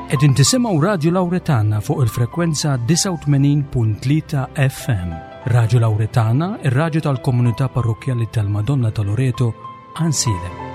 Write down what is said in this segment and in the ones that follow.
Qegħdin tisimgħu Radju Lawretana fuq il-frekwenza 89.3 FM. Radju Lawretana, ir-radju tal-komunità parrokkjali tal-Madonna ta' Loreto, Ansilem.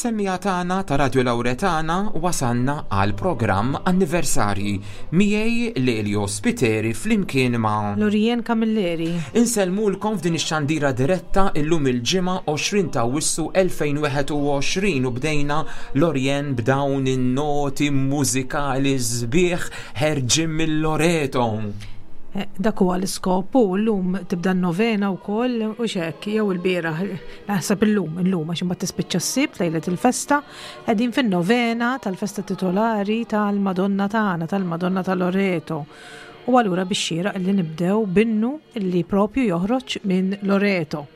Semmiegħa tagħna ta' Radio Lauretana wasalna għal programm anniversarji miegħi Lelio Spiteri flimkien ma' Lorien Camilleri. Insellmulkom f'din ix-xandira diretta illum il-Ġimgħa 20 ta' Awwissu 2021 u bdejna Lorien b'dawn in-noti mużikali sbieħ ħerġin mill-Loreto. Eh, dak huwa l-iskop u llum tibda n-novena wkoll u xek jew il-bieraħ naħseb illum illum għax imbagħad tispiċċa s-sibt lejlet il-festa qegħdin fin-novena tal-festa titolari tal-Madonna tagħna tal-Madonna ta' Loreto. U allura biex xieraq li nibdew binnu li propju joħroġ minn Loreto.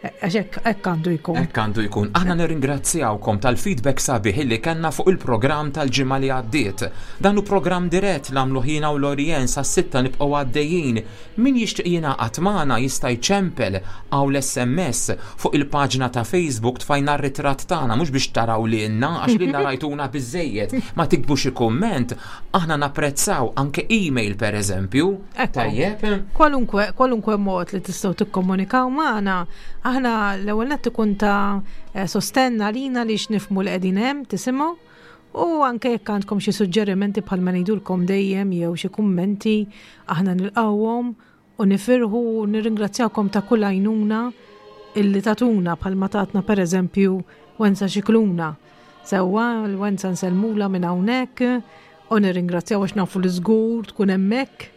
Għax hekk għandu jkun. Hekk għandu jkun. Aħna nirringrazzjawkom tal-feedback sabiħ illi kellna fuq il-programm tal-ġimgħa li għaddiet. Dan hu programm dirett l-għamlu ħina u Lorien sas-sitta nibqgħu għaddejjin. Min jixtieq jingħaqad magħna jista' jċempel hawn l-SMS fuq il-paġna ta' Facebook tfajna r-ritratt tagħna mhux biex taraw lilna għax lilna rajtuna biżejjed. Ma tiktbu xi kumment, aħna napprezzaw anke email pereżempju. Tajjeb. Kwalunkwe, kwalunkwe mod li tistgħu tikkomunikaw magħna, aħna l-ewwel nett ikun ta' eh, sostenn għalina li x'nifmu li qegħdin hemm tisimgħu u anke jekk għandkom xi suġġerimenti bħalma ngħidulkom dejjem jew xi kummenti aħna nilqgħuhom u nifirħu u nirringrazzjawkom ta' kull għajnuna illi tatuna bħalma tatna pereżempju Wenza Xikluna. Sewwa, l-Wenza nsellmula minn hawnhekk u nirringrazzjaw għax nafu li żgur tkun hemmhekk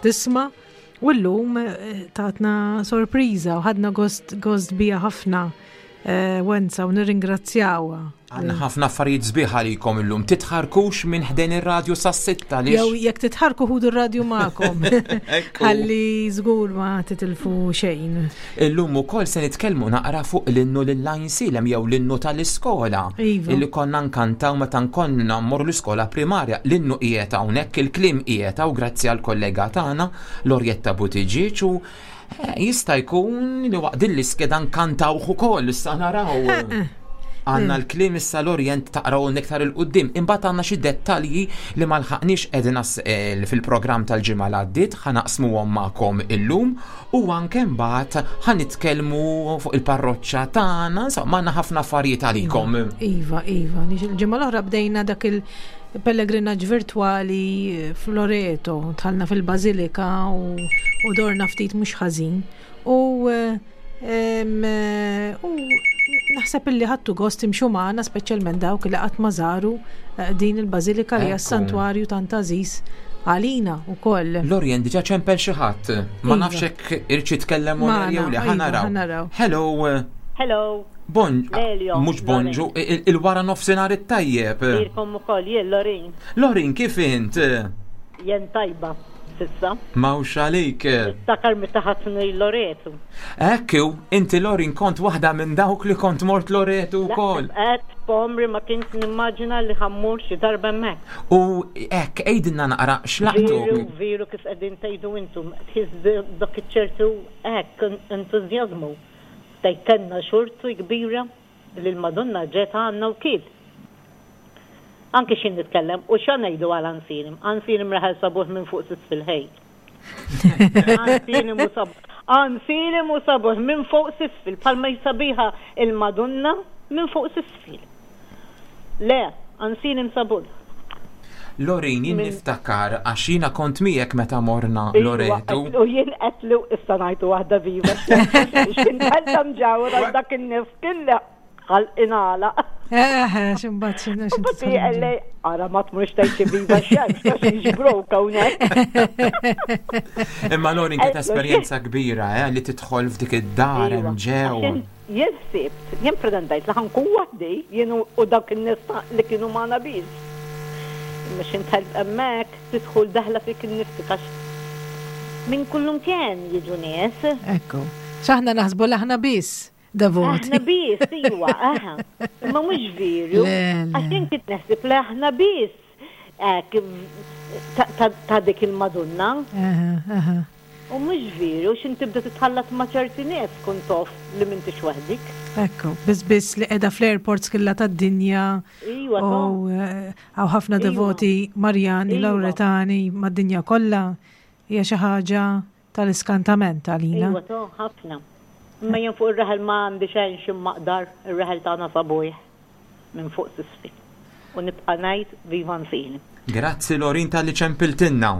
tisma' u llum eh, tatna sorpriża u ħadna gost gost bija ħafna eh, Wenza u nirringrazzjawha. Għandna ħafna affarijiet sbieħ għalikom illum. Titħarkux minn ħdejn ir-radju sas-sitta li. Jew jekk titħarku ħudu r-radju magħkom. Ħalli żgur ma titilfu xejn. Illum ukoll se nitkellmu naqra fuq l-innu lil Għajnsielem jew l-innu tal-iskola. Iva. Illi konna nkantaw meta nkonna mmorru l-iskola primarja. L-innu qiegħed hawnhekk, il-kliem qiegħed hawn grazzi għall-kollega tagħna Lorjetta Buttigieg u eh, jista' jkun li waqt din l-iskeda nkantawh ukoll issa naraw. Għanna l-kliem issa l-Orjent taqraw iktar il-qoddim. Imbagħad għandna xi dettalji li ma lħaqniex qegħdin eh, fil-programm tal-ġimgħa l għaddiet ħanaqsmuhom magħkom illum U anke mbagħad ħa nitkellmu fuq il-parroċċa tagħna, insomma għandna ħafna affarijiet għalikom. Iva, iva, il-ġimgħa l-oħra bdejna dak il-pellegrinaġġ virtwali f'Loreto, dħalna fil-Bażilika u dorna ftit mhux ħażin. U eh, U naħseb illi ħadtu gost timxu magħna speċjalment dawk li qatt ma żaru eh, din il-bażilika li hija santwarju tant għażiż għalina wkoll. Lorien diġà ċempel xi ħadd. Ma iva. nafx hekk irċi tkellem u jew le ħanaraw. Hello. Hello. Bon, mhux bonġu, il-wara nofsinhar it-tajjeb. Lilkom ukoll, jien Lorin. Lorin, kif int? Jien tajba. s'issa. M'hawnx għalik. Niftakar meta ħadtni Loretu. Hekk hu, inti Lorin kont waħda minn dawk li kont mort Loretu wkoll. Qatt f'għomri ma kint nimmaġina li ħa mmur xi darba hemmhekk. U hekk, għidilna naqra x'laqtuk. Veru, veru kif qegħdin tgħidu intom, tħiss dak iċ-ċertu hekk entużjażmu. Tgħid kellna xorti kbira li l-Madonna ġiet għandna wkiel. Anki x'jien nitkellem, u x'ha ngħidu għal Ansirim? Ansirim raħal sabuħ minn fuq s'isfel ħej. Ansirim u sabuħ. Ansirim u sabuħ minn fuq s'isfel, bħalma hi sabiħa il-Madonna minn fuq s'isfel. Le, Ansirim sabuħ. Lorin, jien niftakar għax jiena kont miegħek meta morna Loretu. U jien qedlu issa ngħidu waħda viva. X'kien qed mġawra dak in-nies killa. Ħalq ingħalaq. Eh, x'imbagħad x'inhu x'inhu. Mbagħad ara ma tmurx tgħid xi viva xemx għax jiġbrok hawnhekk. Imma Lorin kienet esperjenza kbira eh, li tidħol f'dik id-dar hemm ġew. Jien ħsibt, jien pretendajt li ħankun waħdi, jien u dawk in-nies li kienu magħna biss. Imma x'int ħelb hemmhekk tidħol daħla fik innifsek għax minn kullumkien jiġu nies. Ekku. X'aħna naħsbu li aħna biss. Devoti. Aħna biss, iwa, aha. Imma mhux veru. Għax jien kont naħseb li aħna biss ta' dik il-Madonna. U mhux veru, x'in tibda titħallat ma' ċerti nies tkun tof li m'intix waħdik. Ekku, biss biss li qiegħda fl-airports kollha tad-dinja. Iwa. U hawn ħafna devoti Marjani, Lawretani mad-dinja kollha. Hija xi ħaġa tal-iskantament għalina. Iwa to, ħafna. Imma jien fuq ir-raħal ma għandi xejn xi mmaqdar, ir-raħal tagħna sabuħ minn fuq s'isfel. U nibqa' ngħid viva Nfini. Grazzi Lorin talli ċempiltilna.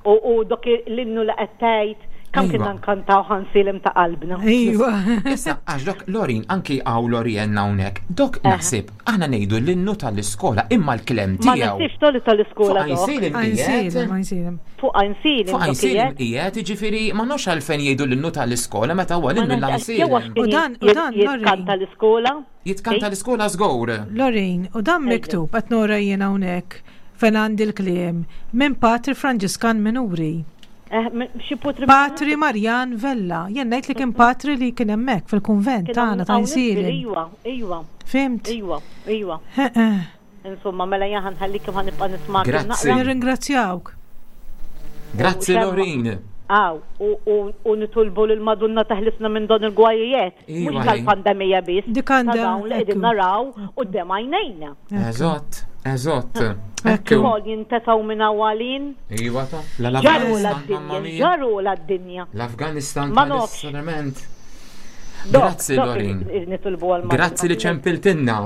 U u dak l-innu li qed tgħid kemm kienna nkantaw ħansilem ta' qalbna. Iva. Issa għax dok Lorin anki hawn Lorien hawnhekk, dok naħseb aħna ngħidu l-innu tal-iskola imma l-klem Ma tiegħu. naħsibx toli tal-iskola Fuq dok. Għajnsielem qiegħed. Għajnsielem, Għajnsielem. Fuq Għajnsielem Fuq dok Għajnsielem qiegħed. qiegħed, jiġifieri ma nafx għalfejn jgħidu l-innu tal-iskola meta huwa Ma l-innu nafx għax jew għax l-Għajnsielem. kien U dan- u dan, jitkanta Lorraine. l-iskola. Jitkanta l-iskola żgur. Lorraine, u dan Ejja. miktub qed nora jien hawnhekk fejn għandi l-kliem minn Patri Franġiskan Minuri. Eh, xi putri Patri Marjan Vella. Jien ngħid li kien patri li kien hemmhekk fil-kunvent tagħna ta' Insielen. Iwa, iwa. Fimt? Iwa, iwa. Insomma, mela jien ħanħallikom ħa nibqa' nisma' Grazzi. Nirringrazzjawk. Grazzi Lorin. Aw, u nitolbu lil Madonna taħlisna minn dan il-gwajijiet. Mhux tal-pandemija biss. Dik għandha. Dawn li qegħdin naraw quddiem għajnejna. Eżatt, eżatt. Ekku. Ukoll jintesaw minn għalin. Iwa ta' Ġaru la d-dinja, ġaru la d-dinja. L-Afganistan Ma nafx. tal-Sarament. Grazzi Lorin. Grazzi li ċempiltinna.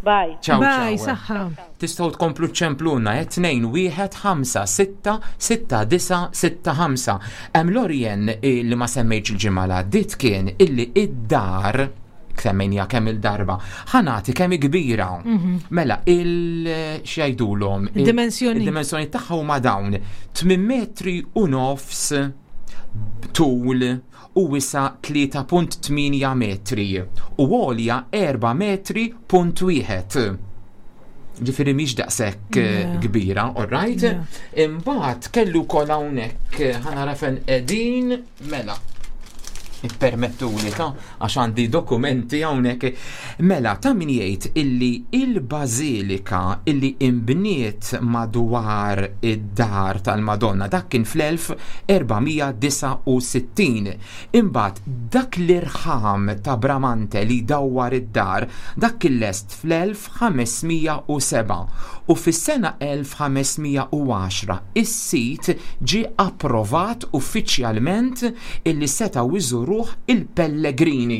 Bye. Ciao, Bye, ciao. saħħa. Tistgħu tkomplu ċempluna 2 1 5 6 6 9 6 5. Hemm Lorien eh, li ma semmejtx il-ġimgħa li għaddiet kien illi id-dar semmejnija kemm il-darba ħanati kemm hi kbira. Mela il x'jgħidulhom il- Id-dimensjoni. Id-dimensjoni tagħha huma dawn 8 metri u nofs tul u wisa 3.8 metri u għolja 4 metri punt wieħed. Ġifieri mhix daqshekk eh, kbira, all right? Imbagħad kellu wkoll hawnhekk eh, ħanara fejn qegħdin mela. Ippermettuli ta' għax għandi dokumenti hawnhekk. Mela ta' min jgħid illi il-bażilika illi imbniet madwar id-dar tal-Madonna dak kien fl-1469. Imbagħad dak l-irħam ta' Bramante li dawwar id-dar dak kien lest fl-1507 u fis-sena 1510 is-sit ġie approvat uffiċjalment illi setgħu iżuruh il-pellegrini.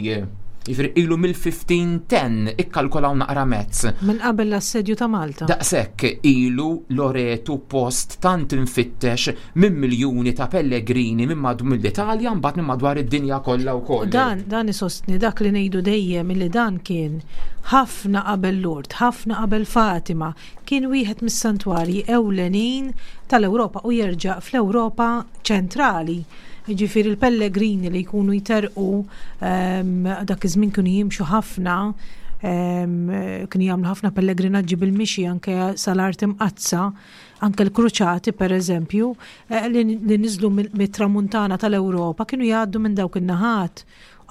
Jiġifieri ilu mill-1510 ikkalkolaw naqra mezz. Minn qabel l-assedju ta' Malta. Daqshekk ilu Loretu post tant infittex minn miljuni ta' pellegrini minn mad mill-Italja mbagħad minn madwar id-dinja kollha wkoll. Dan, dan isostni dak li ngħidu dejjem illi dan kien ħafna qabel Lourdes, ħafna qabel Fatima, kien wieħed mis-santwarji ewlenin tal-Ewropa u jerġa' fl-Ewropa ċentrali. Jiġifieri l-pellegrini li jkunu jterqu dak iż-żmien kienu jimxu ħafna Kienu jagħmlu ħafna pellegrinaġġi bil-mixi anke sal-Art Imqaddsa, anke l-Kruċati pereżempju, li niżlu mit-tramuntana tal-Ewropa kienu jgħaddu minn dawk in-naħat.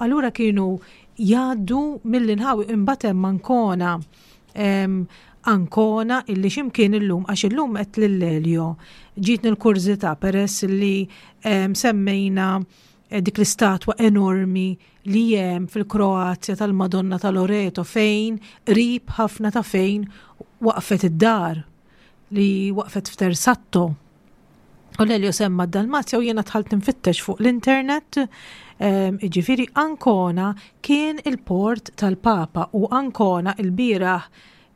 Allura kienu jgħaddu mill-inħawi imbagħad hemm Ancona. Ancona illi x'imkien illum għax illum qed lil Elio ġietni l-kurżità peress li semmejna dik l-istatwa enormi li hemm fil-Kroazja tal-Madonna ta' Loreto fejn qrib ħafna ta' fejn waqfet id-dar li waqfet f'Tersatto. U Lelio semma d-Dalmazja u jiena dħalt nfittex fuq l-internet, jiġifieri Ancona kien il-port tal-Papa u Ancona il-bieraħ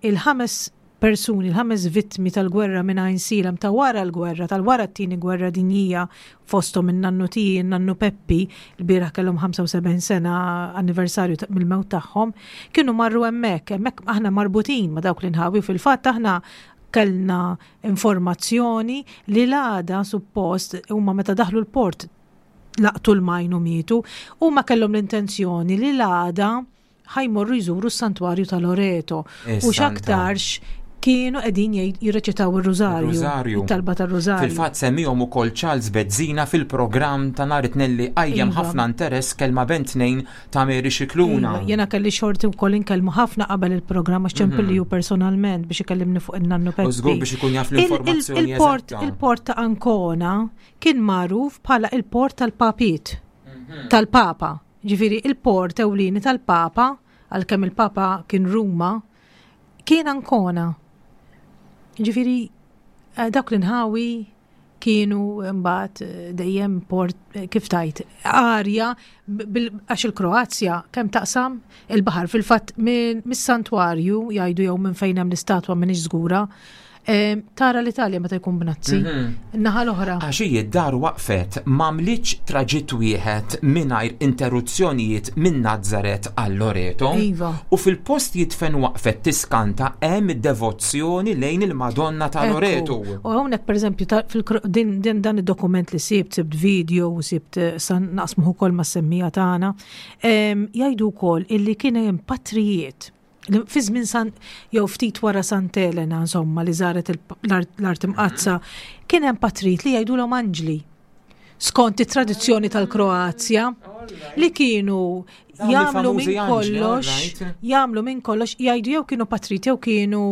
il-ħames persuni, il-ħames vittmi tal-gwerra minn Għajnsielem ta' wara l-gwerra, tal-wara t-tieni gwerra dinjija fosthom in-nannu tiegħi, in-nannu Peppi, il-bieraħ kellhom 75 sena anniversarju mill-mewt tagħhom, kienu marru hemmhekk, hemmhekk aħna marbutin ma' dawk l-inħawi, fil-fatt aħna kellna informazzjoni li l-għada suppost huma meta daħlu l-port laqtu l-majn u mietu, huma kellhom l-intenzjoni li l-għada ħajmorru jżuru s-santwarju ta' Loreto. U x'aktarx kienu qegħdin jirreċitaw ir-rużarju. It-talba tar-rużarju. Fil-fatt semmihom ukoll Charles Bezzina fil-programm ta' nhar it-Tnejn li qajjem iva. ħafna interess kelma bejn tnejn ta' Mary Scicluna. Iva, jiena kelli xorti wkoll inkellmu ħafna qabel il-programm għax ċempilli hu personalment biex ikellimni fuq in-nannu Peppi. U żgur biex ikun jaf l-informazzjoni. Il-port ta' Ancona kien magħruf bħala il-port tal-papiet, tal-papa. Ġifieri il-port ewlieni tal-papa, għalkemm il-papa kien Ruma, kien Ancona. Ġifieri eh, dawk l-inħawi kienu mbagħad eh, dejjem port eh, kif tajt arja għax il-Kroazja kemm taqsam il-baħar fil-fatt mis-santwarju jgħidu jew minn fejn hemm l-istatwa m'iniex żgura tara l-Italja meta jkun bnazzi. Mhm. Naħa l-oħra. Għax hi d-dar waqfet m'għamlitx traġitt wieħed mingħajr interruzzjonijiet minn Nazzaret għal Loreto. Iva. U fil-post jitfen waqfet tiskanta hemm id-devozzjoni lejn il-Madonna ta' Loreto. U hawnhekk pereżempju din, din dan id-dokument li sibt, sibt video u sibt eh, san naqsmuh ukoll mas-semmija tagħna, jgħidu wkoll illi kien hemm patrijiet fi żmien San jew ftit wara Sant Elena insomma li żaret l-art imqaddsa kien hemm patrijiet li jgħidulhom anġli skont it-tradizzjoni tal-Kroazja li kienu jagħmlu minn kollox, jagħmlu minn kollox, jgħidu jew kienu patriti jew kienu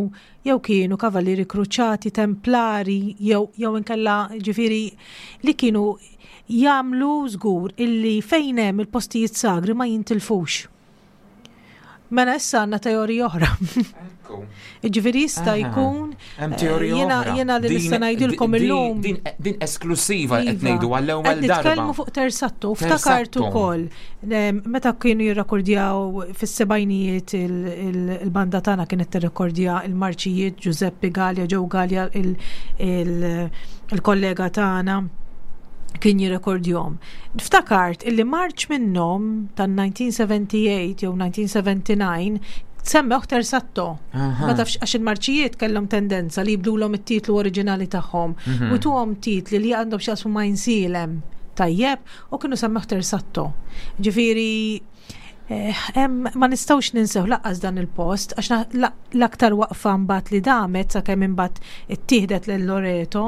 jew kienu kavallieri kruċati, templari, jew jew inkella ġifieri li kienu jagħmlu żgur illi fejn hemm il-postijiet sagri ma jintilfux. Mela issa għandna teorija oħra. Ġifieri jista' jkun. Hemm teorija eh, oħra. Jiena li nista' ngħidilkom illum. Din esklusiva qed iva. ngħidu għall-ewwel darba. Nitkellmu fuq Tersatto, ftakart ukoll meta kienu jirrekordjaw fis-sebgħinijiet il-banda tagħna kienet tirrekordja il-marċijiet Giuseppe Gallia, Joe Gallia il-kollega tagħna kien jirrekordjom. Ftakart illi marċ minnhom tan-1978 jew 1979 semmew Tersatto. Ma tafx għax il-marċijiet kellhom tendenza li jibdulhom it-titlu oriġinali tagħhom mm -hmm. u tuhom titli li għandhom x'jaqsmu ma' jinsilem tajjeb u kienu semmew Tersatto. Ġifieri Eh, ma nistgħux ninsew laqqas dan il-post għax l-aktar waqfa mbagħad li damet sakemm imbagħad ittieħdet lil Loreto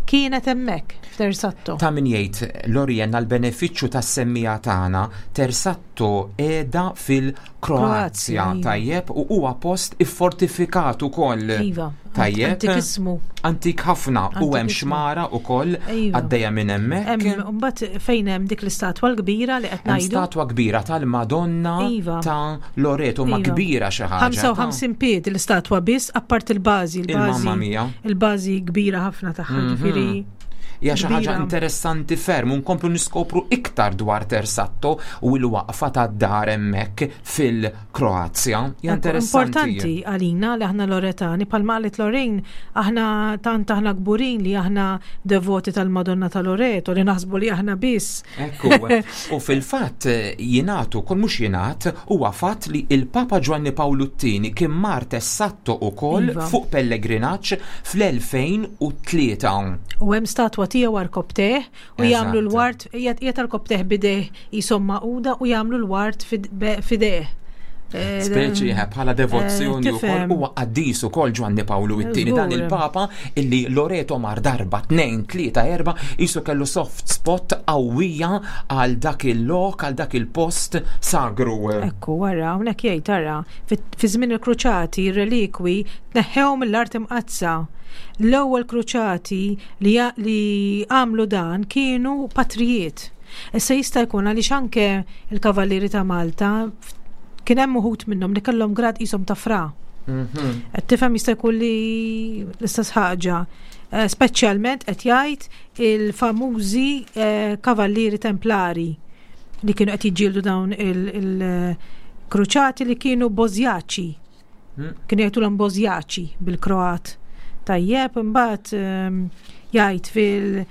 kienet hemmhekk f'Tersatto. Ta' min jgħid Lorien għall-benefiċċju tas-semmiegħa tagħna, Tersatto qiegħda fil-Kroazja, iva. tajjeb, u huwa post iffortifikat ukoll. Iva. Tajjeb. Antikissmu. Antik ħafna u hemm xmara ukoll iva. għaddejja minn hemmhekk. Mbagħad fejn hemm dik l-istatwa l-kbira li qed ngħidu. Statwa kbira tal-Madonna iva. ta' Loreto ma iva. kbira xi ħaġa. 55 pied l-istatwa biss apart il-bażi, il-bażi. Il-bażi kbira ħafna tagħha, mhm. ġifieri. Hija xi ħaġa interessanti ferm u nkomplu niskopru iktar dwar Tersatto u l-waqfa tad-dar hemmhekk fil-Kroazja. Hija interessanti. Importanti għalina li aħna Loretani, palma qalet Lorraine, aħna tant aħna kburin li aħna devoti tal-Madonna ta' Loreto, li naħsbu li aħna biss. Ekku, u fil-fatt jingħad ukoll mhux jingħad, huwa fatt li il-Papa Ġwanni Pawlu t-Tieni kien mar Tessatto ukoll iva. fuq pellegrinaġġ fl-2003. U hemm statwa tiegħu arkobteh u jagħmlu l-ward qiegħed arkobteh bideh jisom maquda u jagħmlu l-ward fideh. Speċi eh, bħala devozzjoni eh, wkoll huwa qaddis ukoll Ġwanni Pawlu it-tieni dan il-Papa illi Loreto mar darba tnejn, tlieta, erba' isu kellu soft spot qawwija għal dak il-lok, għal dak il-post sagru. Ekku, wara, hawnhekk jgħid tara, fi żmien il-kruċati ir-relikwi tneħħew mill-art imqaddsa. L-ewwel kruċati li għamlu dan kienu patrijiet. Issa jista' jkun għaliex anke il-Kavallieri ta' Malta kien hemm uħud minnhom li kellhom grad qishom ta' fra. Mhm. Qed tifhem jista' jkun li l-istess ħaġa. Eh, speċjalment qed jgħid il-famużi eh, kavallieri templari li kienu qed jiġġieldu dawn il-kruċati li kienu bożjaċi. Hmm. Kienu jgħidulhom Bosjaċi bil-Kroat. Tajjeb, imbagħad ehm, jgħid fil-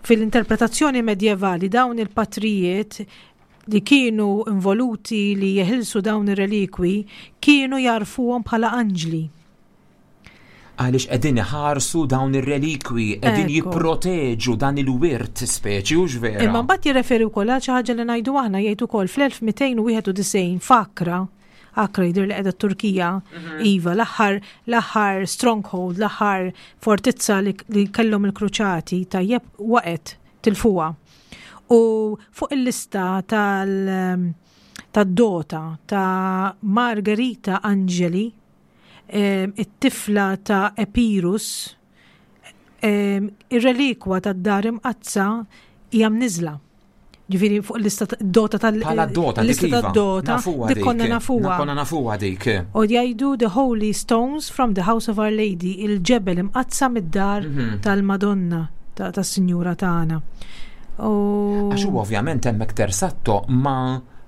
fil-interpretazzjoni medjevali dawn il-patrijiet li kienu involuti li jeħilsu dawn ir-relikwi kienu jarfuhom bħala anġli. Għaliex qegħdin iħarsu dawn ir-relikwi, qegħdin jipproteġu dan il-wirt speċi u vera. Imma mbagħad jirreferi wkoll għal xi ħaġa li ngħidu aħna jgħid ukoll fl-1291 f'Akra Akra jidher li qiegħda t-Turkija, mhm. iva, l-aħħar l-aħħar stronghold, l-aħħar fortizza li, li kellhom il-kruċati tajjeb waqgħet tilfuha. U fuq il-lista tal tad-dota ta' Margherita Angeli, eh, it-tifla ta' Epirus, eh, ir-relikwa tad-dar imqazza hija mniżla. Ġifieri fuq l-lista dota tal Bħala dota dik iva. dota dik konna nafuha. Konna nafuha dik. U jgħidu the holy stones from the house of our lady, il-ġebel imqaddsa mid-dar mhm. tal-Madonna tas-Sinjura tagħna. Għax u ovvjament hemmhekk tersatto ma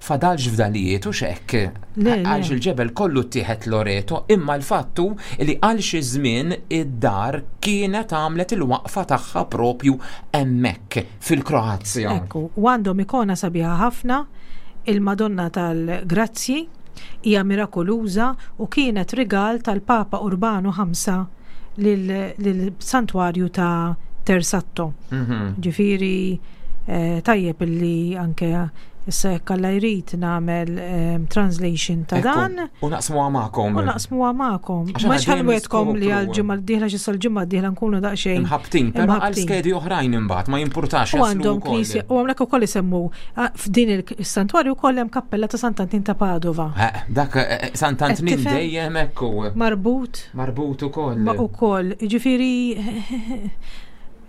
fadalx fdalijiet u xekk. Għalx il-ġebel kollu ttieħed Loreto, imma l-fattu li għal xi żmien id-dar kienet għamlet il-waqfa tagħha propju hemmhekk fil-Kroazja. Ekku, u għandhom ikona sabiħa ħafna, il-Madonna tal-Grazzji, hija mirakoluża u kienet rigal tal-Papa Urbanu 5 lill-santwarju ta' Tersatto. Mhm. Ġifieri eh, tajjeb illi anke issa jekk Alla jrid nagħmel eh, translation ta' dan. U naqsmu magħkom. U naqsmu magħkom. Ma xħalwetkom li għal ġimgħa d-dieħla xi sal-ġimgħa d-dieħla nkunu daqsxejn. Imħabtin, però għal skedi oħrajn imbagħad ma jimpurtax. U għandhom knisja, u hawnhekk ukoll isemmu ah, f'din il-santwarju wkoll hemm kappella ta' Sant'Antin ta' Padova. Eh, dak eh, Sant'Antin dejjem hekk Marbut. Marbut ukoll. Ma ukoll, jiġifieri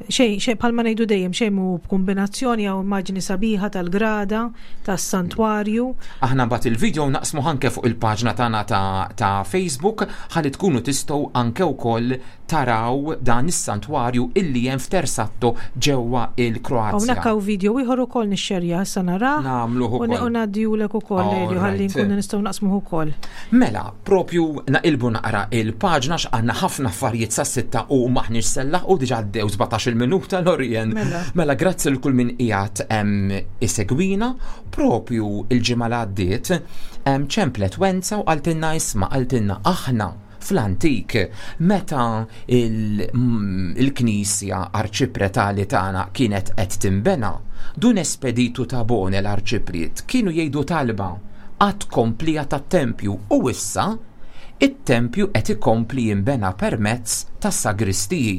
xejn xejn bħalma ngħidu dejjem xejn mhu b'kombinazzjoni jew immaġni sabiħa tal-grada tas-santwarju. Aħna mbagħad il-video naqsmu anke fuq il-paġna tagħna ta', ta Facebook ħalli tkunu tistgħu anke wkoll taraw dan is-santwarju illi hemm f'Tersatto ġewwa il-Kroazja. Hawnhekk hawn video ieħor ukoll nixxerja issa narah. Nagħmluh ukoll. U ngħaddihulek ukoll Elio ħalli nkunu nistgħu naqsmuh ukoll. Mela, propju naqilbu naqra il-paġna x'għandna ħafna affarijiet sas-sitta u maħniex sellaħ u diġà għaddew 17-il minuta Lorien. Mela. mela grazzi l kull min qiegħed isegwina propju il-ġimgħa li għaddiet ċemplet Wenza u qaltilna isma' qaltilna aħna fl-antik meta il-knisja arċipretali tagħna kienet qed tinbena, Dun Espeditu Tabone l-arċipriet kienu jgħidu talba għat-tkomplija tat-tempju u issa it-tempju qed ikompli jinbena permezz tas-sagristiji.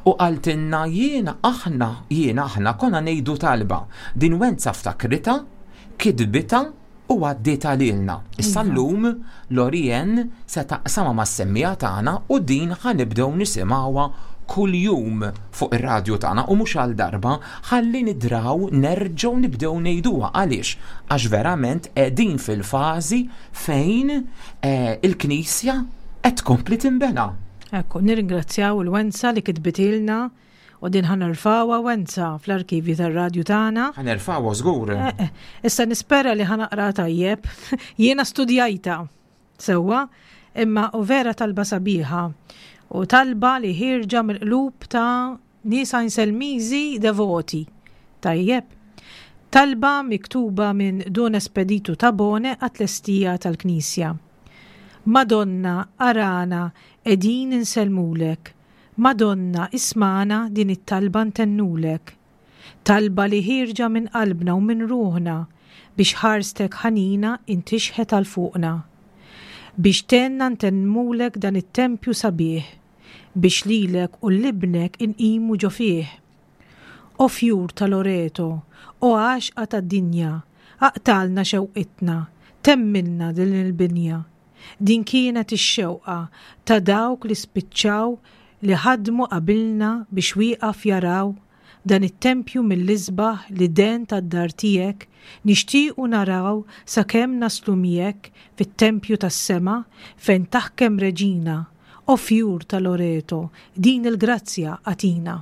U qaltilna jiena aħna jiena aħna konna ngħidu talba. Din Wenza ftakritha, kitbitha u għaddietha lilna. Issa iva. llum Lorien se taqsamha mas-semmiegħa tagħna u din ħa nibdew nisimgħuha kuljum fuq ir-radju tagħna u mhux għal darba ħalli nidraw nerġgħu nibdew ngħiduha għaliex għax verament qegħdin fil-fażi fejn eh, il-Knisja qed tkompli tinbena. Ekku, nirringrazzjaw il-Wenza li kitbitilna U din ħa nerfgħuha Wenza fl-arkivji tar-radju tagħna. Ħa nerfgħuha żgur. Eh, eh. Issa nispera li ħa naqra tajjeb. Jiena studjajta sewwa, imma u vera talba sabiħa. U talba li ħirġa mill-qlub ta' nies Għajnselmiżi devoti. Tajjeb. Talba miktuba minn Dun Espeditu Tabone għat-tlestija tal-Knisja. Madonna, arana, qegħdin insellmulek. Madonna ismagħna din it-talba ntennulek. Talba li ħierġa minn qalbna u minn ruħna biex ħarstek ħanina int tixħet għal fuqna. Biex tgħinna ntemmulek dan it-tempju sabiħ, biex lilek u 'l Ibnek inqimu ġo fih. O fjur ta' Loreto, o għaxqa tad-dinja, aqtgħalna xewqitna, temmilna din il-binja. Din kienet ix-xewqa ta' dawk li spiċċaw li ħadmu qabilna biex wieqaf jaraw dan it-tempju mill-isbaħ li den tad-dar tiegħek nixtiequ naraw sakemm naslu miegħek fit-tempju tas-sema fejn taħkem reġina, o fjur ta' Loreto, din il-grazzja agħtina.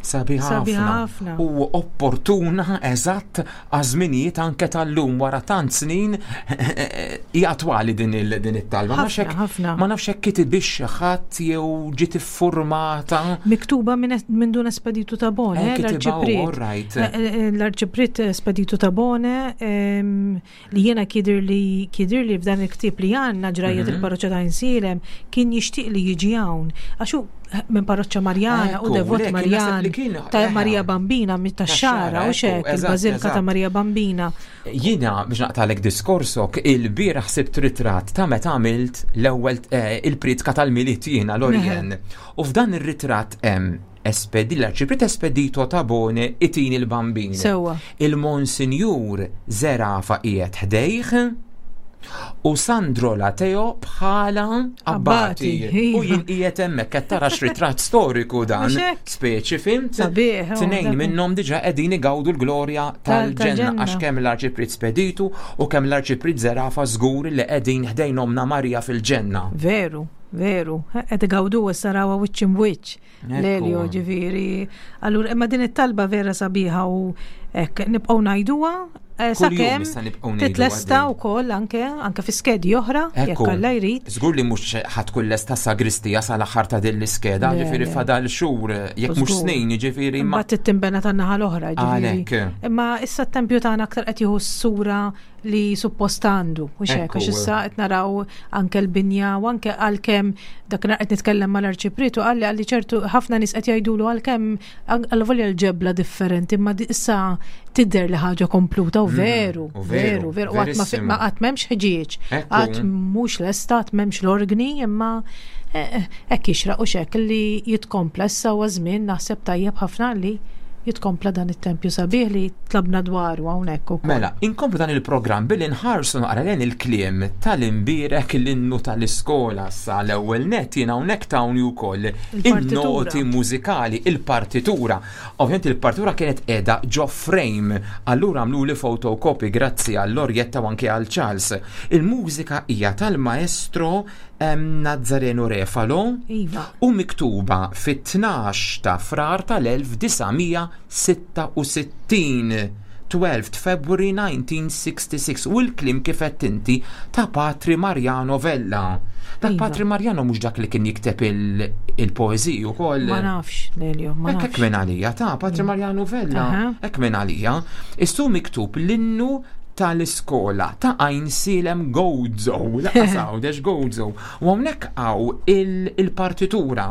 Sabiħa ħafna. U opportuna eżatt għaż-żminijiet anke tal-lum wara tant snin hija attwali din it-talba. Ma nafx hekk kitibix xi ħadd jew ġiet iffurmata. Miktuba minn Dun Espedito Tabone, eh, l-Arċipriet. Eh, eh, l-Arċipriet Espedito Tabone ehm, li jiena kidir li kidir li f'dan il-ktieb li għandna ġrajjet mhm. il-parroċċa ta' Insilem kien jixtieq li jiġi hawn. Għax hu eh, minn parroċċa Marjana u devot Marjan ta' eh, Marija Bambina minn ta' xara u xek il-Bażilka ta' Marija Bambina. Jiena biex naqtalek diskorsok il-bieraħ sibt ritratt ta' meta għamilt l-ewwel eh, il-pritka tal-miliet jiena l-Orjen. U f'dan ir-ritratt hemm Espedi, l-Arċipriet Espedito Tabone itini l-Bambin. Sewwa. Il-Monsinjur Zerafa qiegħed ħdejh u Sandro Lateo bħala abbati. U jien qiegħed hemmhekk qed tara x'ritratt storiku dan. Speċi fimt? Sabiħ. Tnejn minnhom diġà qegħdin igawdu l-glorja tal-ġenna għax kemm l-Arċipriet Speditu u kemm l-Arċipriet Zerafa żgur li qegħdin ħdejn ommna Marija fil-ġenna. Veru, veru. Qed igawdu issa rawha wiċċ imwiċċ. Lelio ġifieri. Allura imma din it-talba vera sabiħa u hekk nibqgħu ngħiduha eh, sakemm titlesta wkoll anke anke fi skedi oħra jekk Alla jrid. Żgur li mhux ħadd tkun lesta sagristija sal-aħħar ta' din l-iskeda, ġifieri fadal xhur jekk mhux snin, ġifieri ma. Mbagħad tinbena tan-naħa l-oħra, ġifieri. Imma issa t-tempju tagħna aktar qed jieħu s-sura li suppost għandu, u xek, għax issa qed naraw anke l-binja u anke għalkemm dak qed nitkellem mal-arċipriet u qalli qalli ċertu ħafna nies qed jgħidulu għalkemm għal-volja l-ġebla differenti, imma issa tidher li ħaġa kompluta u mm, veru, veru, veru, u qatt ma qatt m'hemmx ħġieġ, qatt mhux lesta, qatt m'hemmx l-organi, imma eh, eh, hekk jixraq u xek li jitkompla issa huwa żmien naħseb tajjeb ħafna li jitkompla dan it-tempju sabiħ li tlabna dwaru hawnhekk ukoll. Mela, inkomplu dan il-programm billi nħarsu naqra lejn il-kliem tal-imbierek l-innu tal-iskola sa l-ewwel nett jien hawnhekk tawni wkoll in-noti mużikali, il-partitura. Ovvjament il-partitura kienet qiegħda ġo frame, allura għamluli photocopy grazzi għal Lorjetta u anke għal Charles. Il-mużika hija tal-maestro Nazzareno Refalo iva. u miktuba fit-12 ta' Frar tal-1966. 12 February 1966 u l-kliem kif qed inti ta' Patri Mariano Vella. Dak iva. Patri Mariano mhux dak li kien jikteb il-poeżiji wkoll. Ma nafx, Lelio, ma nafx. Hekk minn għalija ta' Patri mm. Mariano Vella, hekk minn għalija. Issu miktub l-innu tal-iskola ta' Għajnsielem Gozo, laqas Għawdex Gozo. U hawnhekk hawn il-partitura.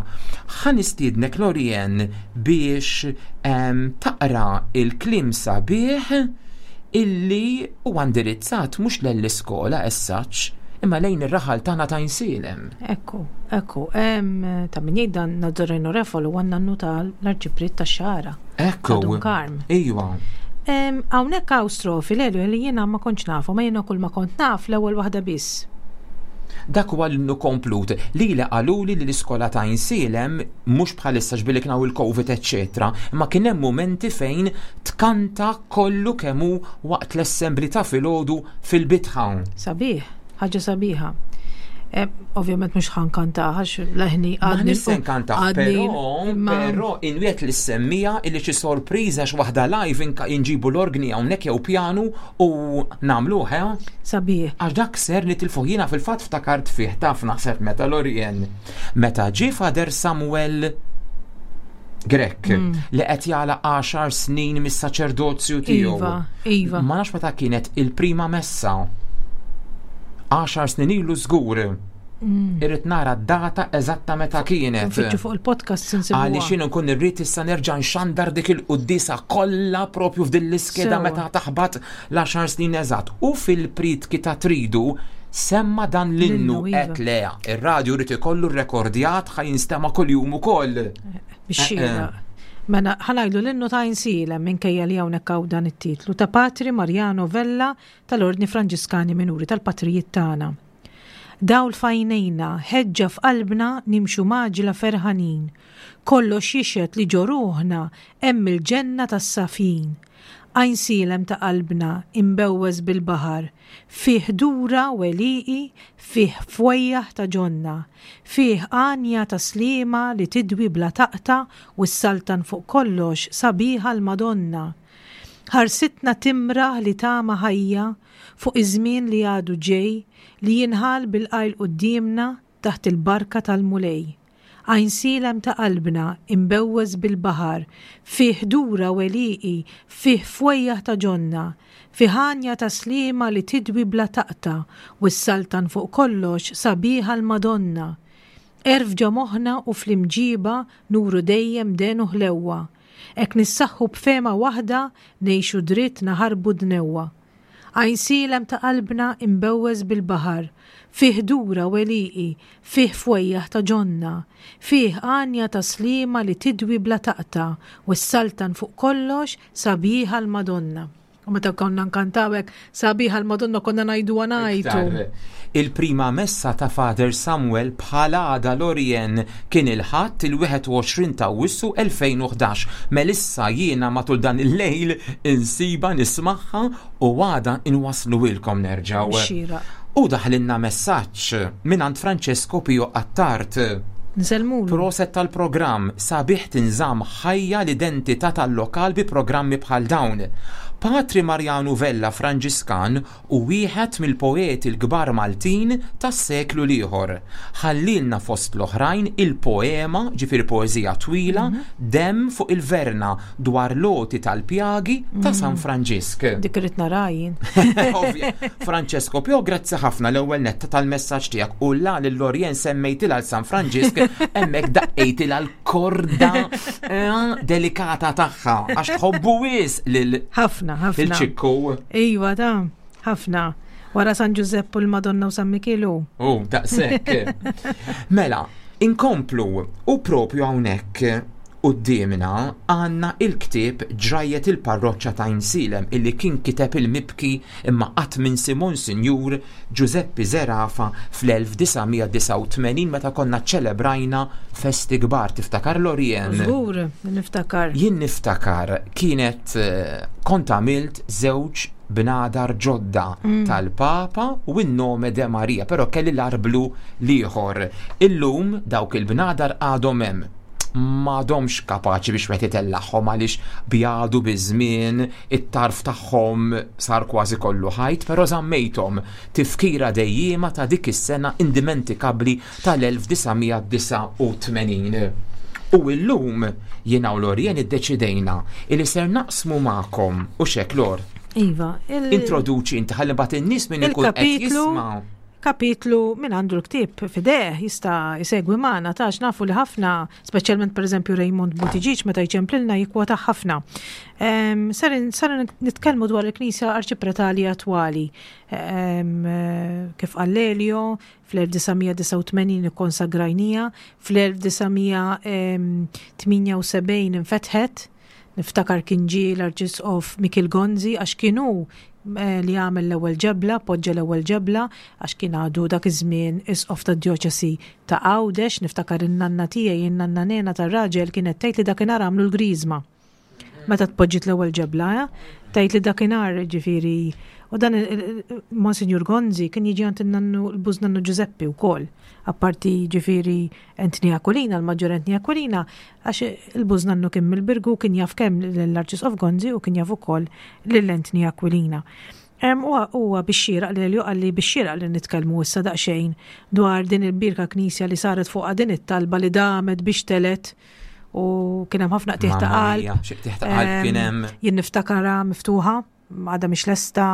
Ħa nistiednek Lorien biex ehm, taqra il-kliem sabiħ illi huwa indirizzat mhux lell-iskola as such, imma lejn ir-raħal tagħna ta' Għajnsielem. Ekku, ekku, ta' min jgħid dan Nazzareno Refolo huwa n-nannu tal-Arċipriet tax-Xagħra. Ekku. Dun Karm. Ejwa. Hawnhekk hawn strofi Lelio li jiena ma kontx nafhom, ma jiena kull ma kont naf l-ewwel waħda biss. Dak huwa l-innu komplut. Lili qaluli li l-iskola ta' Għajnsielem mhux bħalissa x'billi kien hawn il-Covid eċċetera, imma kien hemm mumenti fejn tkanta kollu kemm hu waqt l-assembly ta' filgħodu fil-bitħa. Sabiħ. Ħaġa sabiħa. Eh, ovvjament mhux ħankanta għax leħni għadni. Se nkanta, però però inwiet li semmija illi xi sorpriża x'waħda live inġibu l-orgni hawnhekk jew pjanu u nagħmluh, eh? Sabiħ. Għax dak ser nitilfu jiena fil-fatt ftakart fih taf naħseb meta Lorien. Meta ġie Fader Samuel Grech mm. li qed jagħlaq 10 snin mis-saċerdozju tiegħu. Iva, iva. Ma nafx meta kienet il-prima messa. 10 snin ilu żgur. Mm. Irrid nara d-data eżatta meta kienet. Nfittxu fuq il-podcast insibuha. Għaliex jien nkun irrid issa nerġa' nxandar dik il-quddisa kollha propju f'din l-iskeda meta taħbat l-10 snin eżatt. U fil-pritki ta' tridu semma dan l-innu L-innu, iva. qed lea. Ir-radju rrid ikollu rrekordjat ħa jinstema' kuljum ukoll. Bix-xieraq. Mela, ħa ngħidu l-innu ta' Għajnsielem minkejja li hawnhekk hawn dan it-titlu ta' Patri Mariano Vella tal-Ordni Franġiskani Minuri tal-Patrijiet tagħna. Dawl f'għajnejna, ħeġġa f'qalbna nimxu mgħaġġla ferħanin. Kollox jixhed li ġo ruħna hemm il-ġenna tas-safjin. Għajnsielem ta' qalbna imbewwes bil-baħar, fih dura u għelieqi, fih fwejjaħ ta' ġonna, fih għanja ta' sliema li tidwi bla taqta' u ssaltan fuq kollox sabiħa l-Madonna. Ħarsitna timraħ li tama ħajja fuq iż-żmien li għadu ġej li jinħall bil-qajl quddiemna taħt il-barka tal-Mulej. Għajnsielem ta' qalbna imbewwes bil-baħar, fih dura u għelieqi, fih fwejjaħ ta' ġonna, fih għanja ta' sliema li tidwi bla taqta' u ssaltan fuq kollox sabiħa l-Madonna. Għerf ġo moħħna u fl-imġiba nuru dejjem den u ħlewwa. Hekk nissaħħu b'fehma waħda ngħixu dritt naħarbu d-dnewwa. Għajnsielem ta' qalbna imbewwes bil-baħar, fih dura u għelieqi, fih fwejjaħ ta' ġonna, fih għanja ta' sliema li tidwi bla taqta' u ssaltan fuq kollox sabiħa l-Madonna. U meta konna nkantaw hekk sabiħa l-Madonna konna ngħiduha ngħajtu. Iktar. Il-prima messa ta' Father Samuel bħala għada Lorien kien il-Ħadd il-21 ta' Awwissu 2011. Melissa jiena matul dan il-lejl insiba nismagħha u għada inwassluhielkom nerġgħu. Xieraq. U daħlilna messaġġ mingħand Francesco Pio Attard. Nsellmulu. Proset tal-programm, sabiħ tinżamm ħajja l-identità tal-lokal bi programmi bħal dawn. Patri Marjanu Vella Franġiskan hu wieħed mill-poeti l-kbar Maltin tas-seklu l-ieħor. Ħallielna fost l-oħrajn il-poema, ġifieri poeżija twila, Demm fuq il-Verna dwar l-għoti tal-pjagi ta' San Franġisk. Dik irrid naraha jien. Ovvja. Francesco Pio, grazzi ħafna l-ewwel netta tal-messaġġ tiegħek u la lil Lorien semmejtilha l San Franġisk hemmhekk daqqejtilha l-korda eh, delikata tagħha għax tħobbu wis lil Ħafna, ħafna. Il-ċikku. Iva, ta' ħafna. Wara San Ġużepp u l-Madonna u San Mikielu. U, daqshekk. Mela, inkomplu u propju hawnhekk quddiemna għandna il-ktieb Ġrajjet il-Parroċċa ta' Għajnsielem illi kien kiteb il-mibki imma qatt minsi Monsinjur Ġużeppi Zerafa fl-1989 meta konna ċċelebrajna festi kbar. Tiftakar Lorien? Żgur, niftakar. Jien niftakar kienet kont għamilt żewġ bnadar ġodda mm. tal-Papa u n-nome de Maria, però kelli l-arblu l-ieħor. Illum dawk il-bnadar għadhom hemm m'għadhomx kapaċi biex wieħed itellagħhom għaliex bjadu biż-żmien, it-tarf tagħhom sar kważi kollu ħajt, però żammejthom tifkira dejjiema ta' dik is-sena indimentikabbli tal-1989. U illum jiena u Lorien iddeċidejna li ser naqsmu magħkom u xek Lor. Iva. Introduċi inti ħalli mbagħad in-nies min ikun qed jisma'. Kapitlu min għandu l-ktieb f'idejh jista' jsegwi magħna ta' għax nafu li ħafna, speċjalment pereżempju Raymond Buttigieg meta jċemplilna jikkwota ħafna. Ser sar nitkellmu dwar il-Knisja Arċipretali attwali. Kif qal Lelio, fl-1989 ikkonsagrajnija, fl-1978 infetħet, Niftakar kien ġie l-Arċisqof Mikiel Gonzi għax kien hu eh, li għamel l-ewwel ġebla, poġġa l-ewwel ġebla għax kien għadu dak iż-żmien isqof tad-djoċesi ta' Għawdex, niftakar in-nanna tiegħi, in-nanna Nena tar-raġel kienet tgħid li dakinhar għamlu l-griżma. Meta tpoġġiet l-ewwel ġebla, eh? tgħid li dakinhar ġifieri u dan Monsinjur Gonzi kien jiġi għand in-nannu l-bużnannu Ġużeppi wkoll, apparti ġifieri Anthony Aquilina, l-Maġġor Anthony Aquilina, għax il-bużnannu kien mill-Birgu kien jaf kemm lill-Arċisqof Gonzi u kien jaf ukoll lil Anthony Aquilina. Huwa bix-xieraq li Elio qalli bix-xieraq li nitkellmu issa daqsxejn dwar din il-birka knisja li saret fuqha din it-talba li damet biex telet u kien hemm ħafna qtieħ ta' qalb. Xi qtieħ ta' qalb kien hemm. Jien niftakarha miftuħa għadha mhix lesta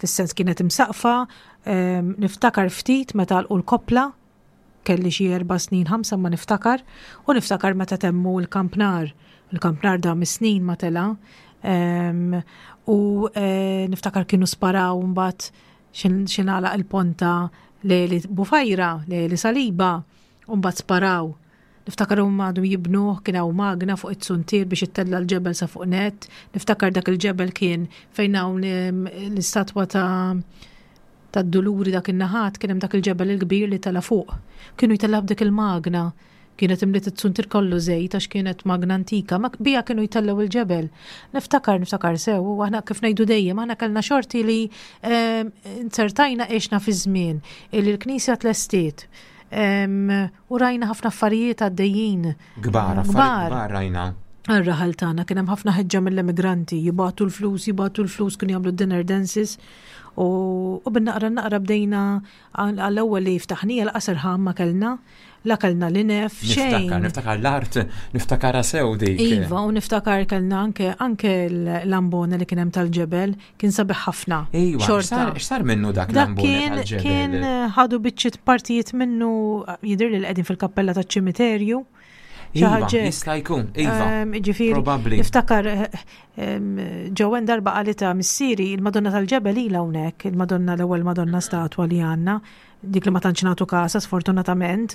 fis-sens kienet imsaqfa, niftakar ftit meta għalqu l-koppla Kelli xi erba' snin, ħamsa ma niftakar, u niftakar meta temmu l-kampnar. Il-kampnar dam is-snin ma tela'. U eh, niftakar kienu sparaw mbagħad Xi nagħlaq il-ponta Leli Bufajra, Leli Saliba, u mbagħad sparaw. Niftakar huma għadu jibnuh kien hawn magna fuq it-suntier biex ittella l-ġebel sa fuq net. Niftakar dak il-ġebel kien fejn hawn l-istatwa ta' tad-duluri dak in-naħat kien hemm dak il-ġebel il-kbir li tela fuq. Kienu jtellgħu b'dik il-magna. Kienet imliet it-suntier kollu żejt għax kienet magna antika, ma bija kienu jtellgħu il-ġebel. Niftakar, niftakar sew, u aħna kif ngħidu dejjem, aħna kellna xorti li inzertajna għexna fi żmien li l-Knisja tlestiet. U rajna ħafna affarijiet għaddejjin. Kbar, affarijiet kbar rajna. Għar-raħal tagħna kien hemm ħafna ħeġġa mill-emigranti, jibgħatu l-flus, jibgħatu l-flus, kienu jagħmlu dinner dances. U bin-naqra naqra bdejna għall-ewwel li ftaħnija l-qasar ħam ma kellna, la kellna l-inef, xejn. Niftakar, niftakar l-art, niftakar sew dik. Iva, u niftakar kellna anke anke l-ambona li kien hemm tal-ġebel, kien sabiħ ħafna. Iva, xorta. X'sar minnu dak l-ambona tal-ġebel? Kien ħadu biċċiet partijiet minnu jidher li qegħdin fil-kappella taċ-ċimiterju. Iva, jista' jkun, iva. Ġifieri, Probabbli. Niftakar ġewen darba qalita missieri il-Madonna tal-Ġebel ilha hawnhekk, il-Madonna l-ewwel Madonna statwa li għandna, dik li ma tantx nagħtu kasa sfortunatament.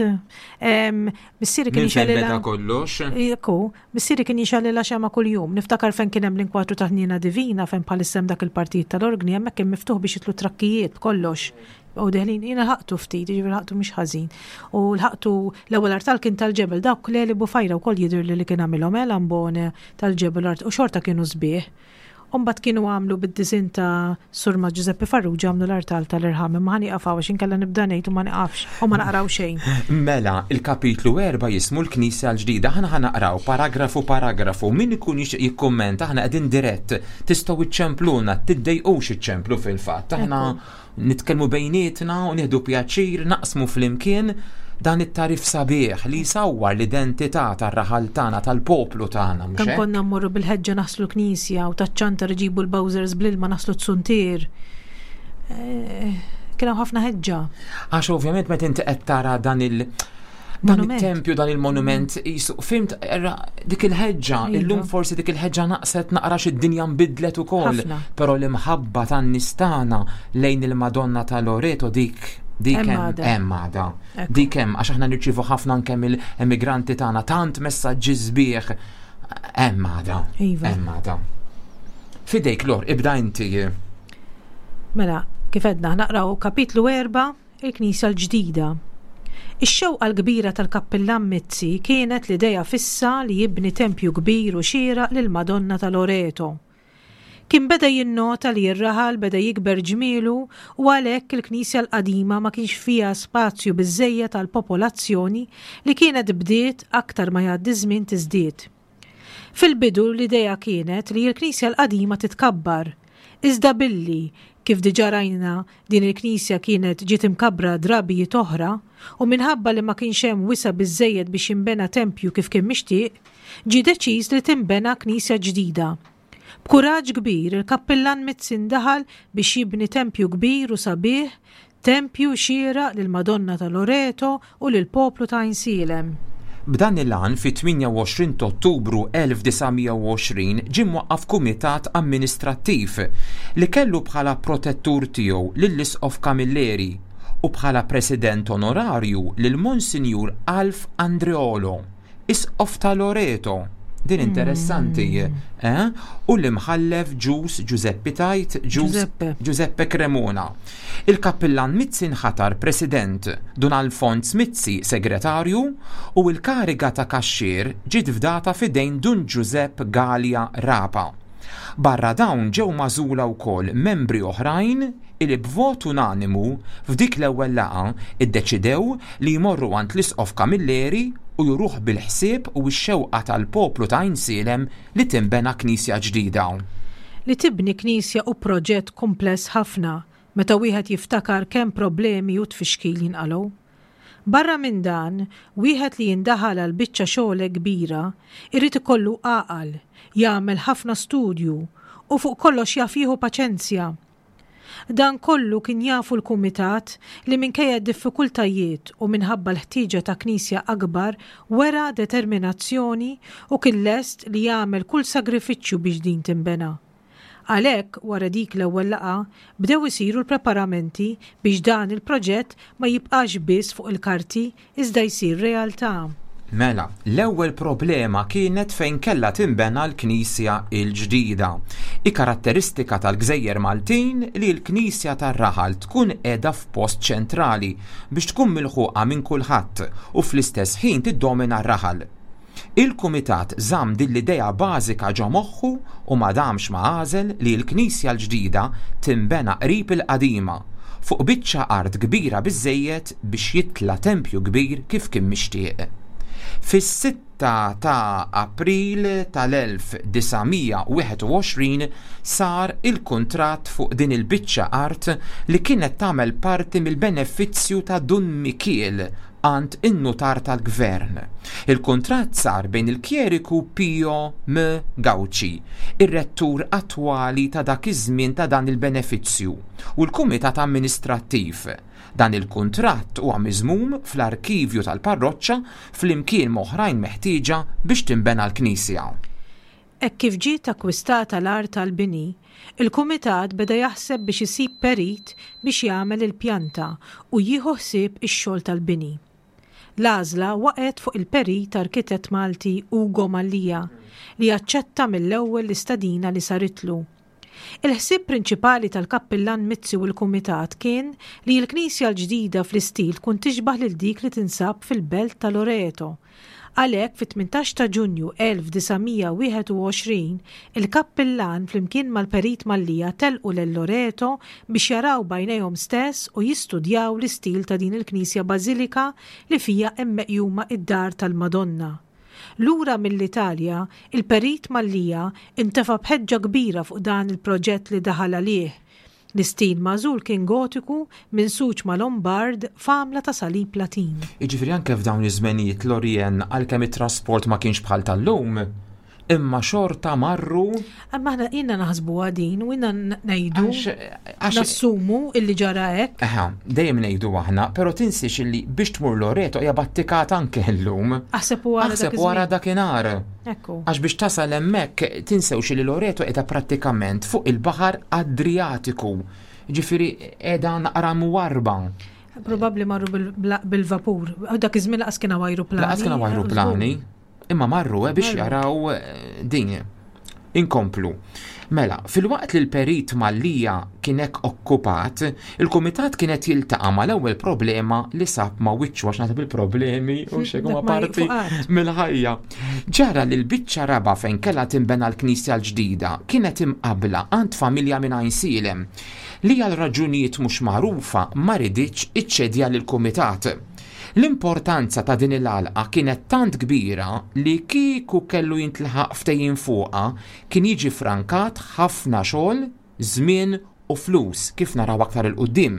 Missieri kien jixgħelilha kollox. Ekku, missieri kien jixgħelilha xema kuljum. Niftakar fejn kien hemm l-inkwatru ta' ħniena divina fejn bħalissa hemm dak il-partit tal-organi hemmhekk kien miftuħ biex jitlu trakkijiet b'kollox. U deħlin, jiena ħaqtu ftit, jiġifieri ħaqtu mhux ħażin. U l-ħaqtu l-ewwel artal kien tal-ġebel, dawk Leli Bufajra wkoll jidhirli li kien għamilhom, eh, l-ambone tal-ġebel u xorta kienu sbieħ. U mbagħad kienu għamlu bid-disinn ta' Surma Giuseppe Farrugia għamlu l-artal tal-irħam, imma ħa nieqaf hawn għax inkella nibda ngħid u ma nieqafx u ma naqraw xejn. Mela, il-kapitlu 4 jismu l-Knisja l-ġdida. Aħna ħa naqraw paragrafu paragrafu. Min ikun jixtieq jikkummenta aħna qegħdin dirett. Tistgħu iċċempluna, tiddejqux iċċemplu fil-fatt. Aħna Nitkellmu bejnietna u nieħdu pjaċir naqsmu flimkien dan it-tagħrif sabiħ li jsawwar l-identità tar-raħal tagħna, tal-poplu tagħna. Kemm konna mmorru bil-ħeġġa naħslu l-knisja u taċ-ċantar iġibu l-bowsers bl-ilma naħslu t-suntier. Eh, kien hawn ħafna ħeġġa. Għax ovvjament meta inti qed tara dan il- dan il-tempju, dan il-monument, jisu, fimt, dik il-ħeġġa, iva. illum forsi dik il-ħeġġa naqset naqra id-dinja nbidlet ukoll, però l-imħabba tan-nies tagħna lejn il-Madonna ta' Loreto dik dik hemm għada. Dik hemm għax aħna nirċievu ħafna anke mill-emigranti tagħna tant messaġġi sbieħ hemm għada. Iva. Hemm għada. Fidejk Lor, ibda inti. Mela, kif edna, naqraw kapitlu 4 Il-Knisja l-ġdida. Ix-xewqa l-kbira tal-Kappillan Mizzi kienet l-idea fissa li jibni tempju kbir u xieraq lill-Madonna ta' Loreto. Kien beda jinnota li r-raħal beda jikber ġmielu u għalhekk il-knisja l-qadima ma kienx fiha spazju biżżejjed għall-popolazzjoni li kienet bdiet aktar ma jgħaddi ż-żmien tiżdied. Fil-bidu l-idea kienet li l-knisja l-qadima titkabbar, iżda billi, kif diġà rajna, din il-knisja kienet ġiet imkabbra drabijiet oħra u minħabba li ma kienx hemm wisa' biżżejjed biex jinbena tempju kif kien mixtieq, ġie deċiż li tinbena knisja ġdida. B'kuraġġ kbir il-Kappillan Mizzi ndaħal biex jibni tempju kbir u sabiħ, tempju xieraq lill-Madonna ta' Loreto u lill-poplu ta' Għajnsielem. B'dan il-għan fit-28 t'Ottubru 1920 ġie mwaqqaf kumitat amministrattiv li kellu bħala protettur tiegħu lill-Isqof Camilleri u bħala president onorarju lil Monsinjur Alf Andreolo. Isqof ta' Loreto, din interessanti, eh? U l-imħallef Ġus Ġużeppi Tajt, Ġus Giuseppe Cremona. Il-kappillan Mizzi nħatar President, Dun Alfons Mizzi Segretarju u l-kariga ta' kaxxier ġiet fdata f'idejn Dun Ġużepp Galea Rapa. Barra dawn ġew magħżula wkoll membri oħrajn li b'vot unanimu f'dik l-ewwel laqgħa ddeċidew li jmorru għand l-Isqof Camilleri u juruh bil-ħsieb u x-xewqa tal-poplu ta' Għajnsielem li tinbena knisja ġdida. Li tibni knisja hu proġett kumpless ħafna meta wieħed jiftakar kemm problemi u tfixkil jinqalgħu. Barra minn dan, wieħed li jindaħal għal biċċa xogħol hekk kbira jrid ikollu għaqal, jagħmel ħafna studju u fuq kollox jaf jieħu paċenzja. Dan kollu kien jafu l-kumitat li minkejja d-diffikultajiet u minħabba l-ħtieġa ta' knisja akbar wera determinazzjoni u kien lest li jagħmel kull sagrifiċċju biex din tinbena. Għalhekk, wara dik l-ewwel laqgħa, bdew isiru l-preparamenti biex dan il-proġett ma jibqax biss fuq il-karti iżda jsir realtà. Mela, l-ewwel problema kienet fejn kellha tinbena l-knisja l-ġdida. Hi karatteristika tal-gżejjer Maltin li l-knisja tar-raħal tkun qiegħda f'post ċentrali biex tkun milħuqa minn kulħadd u fl-istess ħin tiddomina r-raħal. Il-Kumitat żamm din l-idea bażika ġo moħħu u ma damx ma għażel li l-knisja l-ġdida tinbena qrib il-qadima, fuq biċċa art kbira biżżejjed biex jitla' tempju kbir kif kien mixtieq. Fis-sitta ta' April tal-1921 sar il-kuntratt fuq din il-biċċa art li kienet tagħmel parti mill-benefizzju ta' Dun Mikiel għand in-nutar tal-gvern. Il-kuntratt sar bejn il-kjeriku Pio M. Gauci, ir-rettur attwali ta' dak iż-żmien ta' dan il-benefizzju, u l-kumitat amministrattiv. Dan il-kuntratt huwa miżmum fl-arkivju tal-parroċċa flimkien m'oħrajn meħtieġa biex tinbena l-knisja. Hekk kif ġiet akkwistata l-art għall-bini, il-kumitat beda jaħseb biex isib perit biex jagħmel il-pjanta u jieħu ħsieb ix-xogħol tal-bini. L-għażla waqgħet fuq il-perit arkitett Malti Ugo Mallia li aċċetta mill-ewwel l-istedina li saritlu. Il-ħsieb prinċipali tal-Kappillan Mizzi u l-Kumitat kien li l-knisja l-ġdida fl-istil tkun tixbah lil dik li tinsab fil-belt ta' Loreto. Għalhekk fit-18 ta' Ġunju 1921, il-Kappillan flimkien mal-Perit Mallia telqu lil Loreto biex jaraw b'għajnejhom stess u jistudjaw l-istil ta' din il-knisja bażilika li fiha hemm meqjuma d-dar tal-Madonna. Lura mill-Italja, il-Perit Mallia intefa' b'ħeġġa kbira fuq dan il-proġett li daħal għalih. L-istil magħżul kien Gotiku minsuġ ma' Lombard f'għamla ta' salib Latin. Jiġifieri anke f'dawn iż-żmenijiet Lorien għalkemm it-trasport ma kienx bħal tal-lum, imma xorta marru. Imma aħna ilna naħsbuha din u ilna ngħidu nassumu illi ġara hekk. Eħa, dejjem ngħidu aħna, però tinsiex illi biex tmur Loreto hija battikata anke llum. Aħseb wara Aħseb wara dakinhar. Ekku. Għax biex tasal hemmhekk tinsewx li Loreto qiegħda prattikament fuq il-baħar Adriatiku. Ġifieri qiegħda naqra mwarba. Probabbli marru bil-vapur. Dak iż-żmien laqas kien hawn ajruplani. Laqas kien hawn ajruplani. Imma marru eh, biex jaraw eh, din. Inkomplu. Mela, filwaqt li l-perit Mallia kien hekk okkupat, il-kumitat kien qed jiltaqa' mal-ewwel problema li sab ma' wiċċu għax naħseb il-problemi u xejn huma parti mill-ħajja. Ġara li l-biċċa raba' fejn kellha tinbena l-knisja l-ġdida kienet imqabbla għand familja minn Għajnsielem li għal raġunijiet mhux magħrufa ma riditx iċċedja lill-kumitat. L-importanza ta' din il-għalqa kienet tant kbira li kieku kellu jintlaħaq ftehim fuqha kien jiġi ffrankat ħafna xogħol, żmien u flus kif naraw aktar 'il quddiem.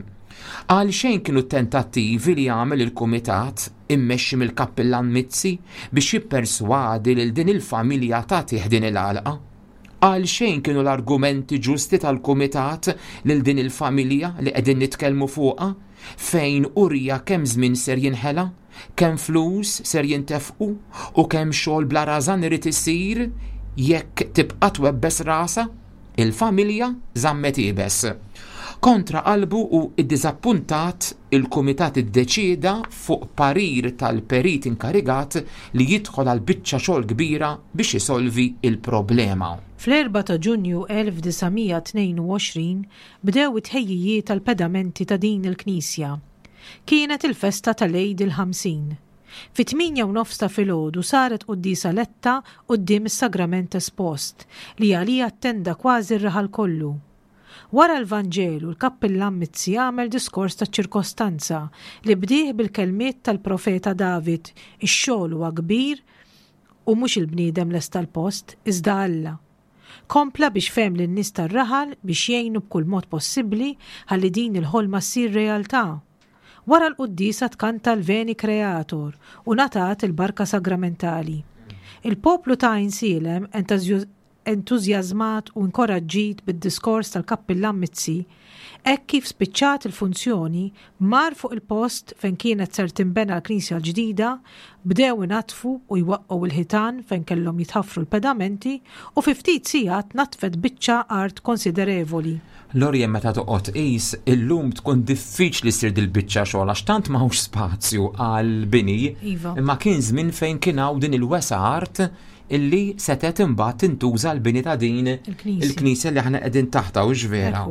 Għalxejn kienu t-tentattivi li għamel il-kumitat immexxi mill-Kappillan Mizzi biex jipperswadi lil din il-familja tagħtih din il-għalqa. Għalxejn kienu l-argumenti ġusti tal-kumitat lil din il-familja li qegħdin nitkellmu fuqha, fejn urija kemm żmien ser jinħela, kemm flus ser jintefqu u kemm xogħol bla rażan irid isir jekk tibqa' twebbes rasha. Il-familja żammet iebes. Kontra qalbu u ddiżappuntat, il-kumitat iddeċieda, fuq parir tal-perit inkarigat, li jidħol għal biċċa xogħol kbira biex isolvi l-problema. Fl-erbgħa ta' Ġunju 1922 bdew it-tħejjijiet għall-pedamenti ta' din il-knisja. Kienet il-festa tal-Għid il-50. Fit-tmienja u nofs ta' filgħodu saret quddiesa letta quddiem is-Sagrament espost, li għaliha attenda kważi r-raħal kollu. Wara l-Vanġelu l-Kappillan Mizzi għamel diskors taċ-ċirkostanza li bdieh bil-kelmiet tal-profeta David, Ix-xogħol huwa kbir u mhux il-bniedem lesta l-post, iżda Alla. Kompla biex fehem lin-nies tar-raħal biex jgħinu b'kull mod possibbli ħalli din il-ħolma ssir realtà. Wara l-quddiesa tkanta l-Veni Creator u ngħatat il-barka sagramentali. Il-poplu ta' Għajnsielem. entużjażmat u inkoraġġit bid-diskors tal-Kappillan Mizzi, hekk kif spiċċat il-funzjoni, mar fuq il-post fejn kienet ser tinbena l-knisja l-ġdida, bdew inaddfu u jwaqqgħu l-ħitan fejn kellhom jitħaffru l-pedamenti u fi ftit sigħat naddfet biċċa art konsiderevoli. Lorien meta toqgħod tqis, illum tkun diffiċli ssir dil-biċċa xogħol għax tant m'hawnx spazju għall-bini. Iva. Imma kien żmien fejn kien hawn din il-wesgħa art illi setgħet imbagħad tintuża l-bini ta' din il-knisja li aħna qegħdin taħtha hux vera.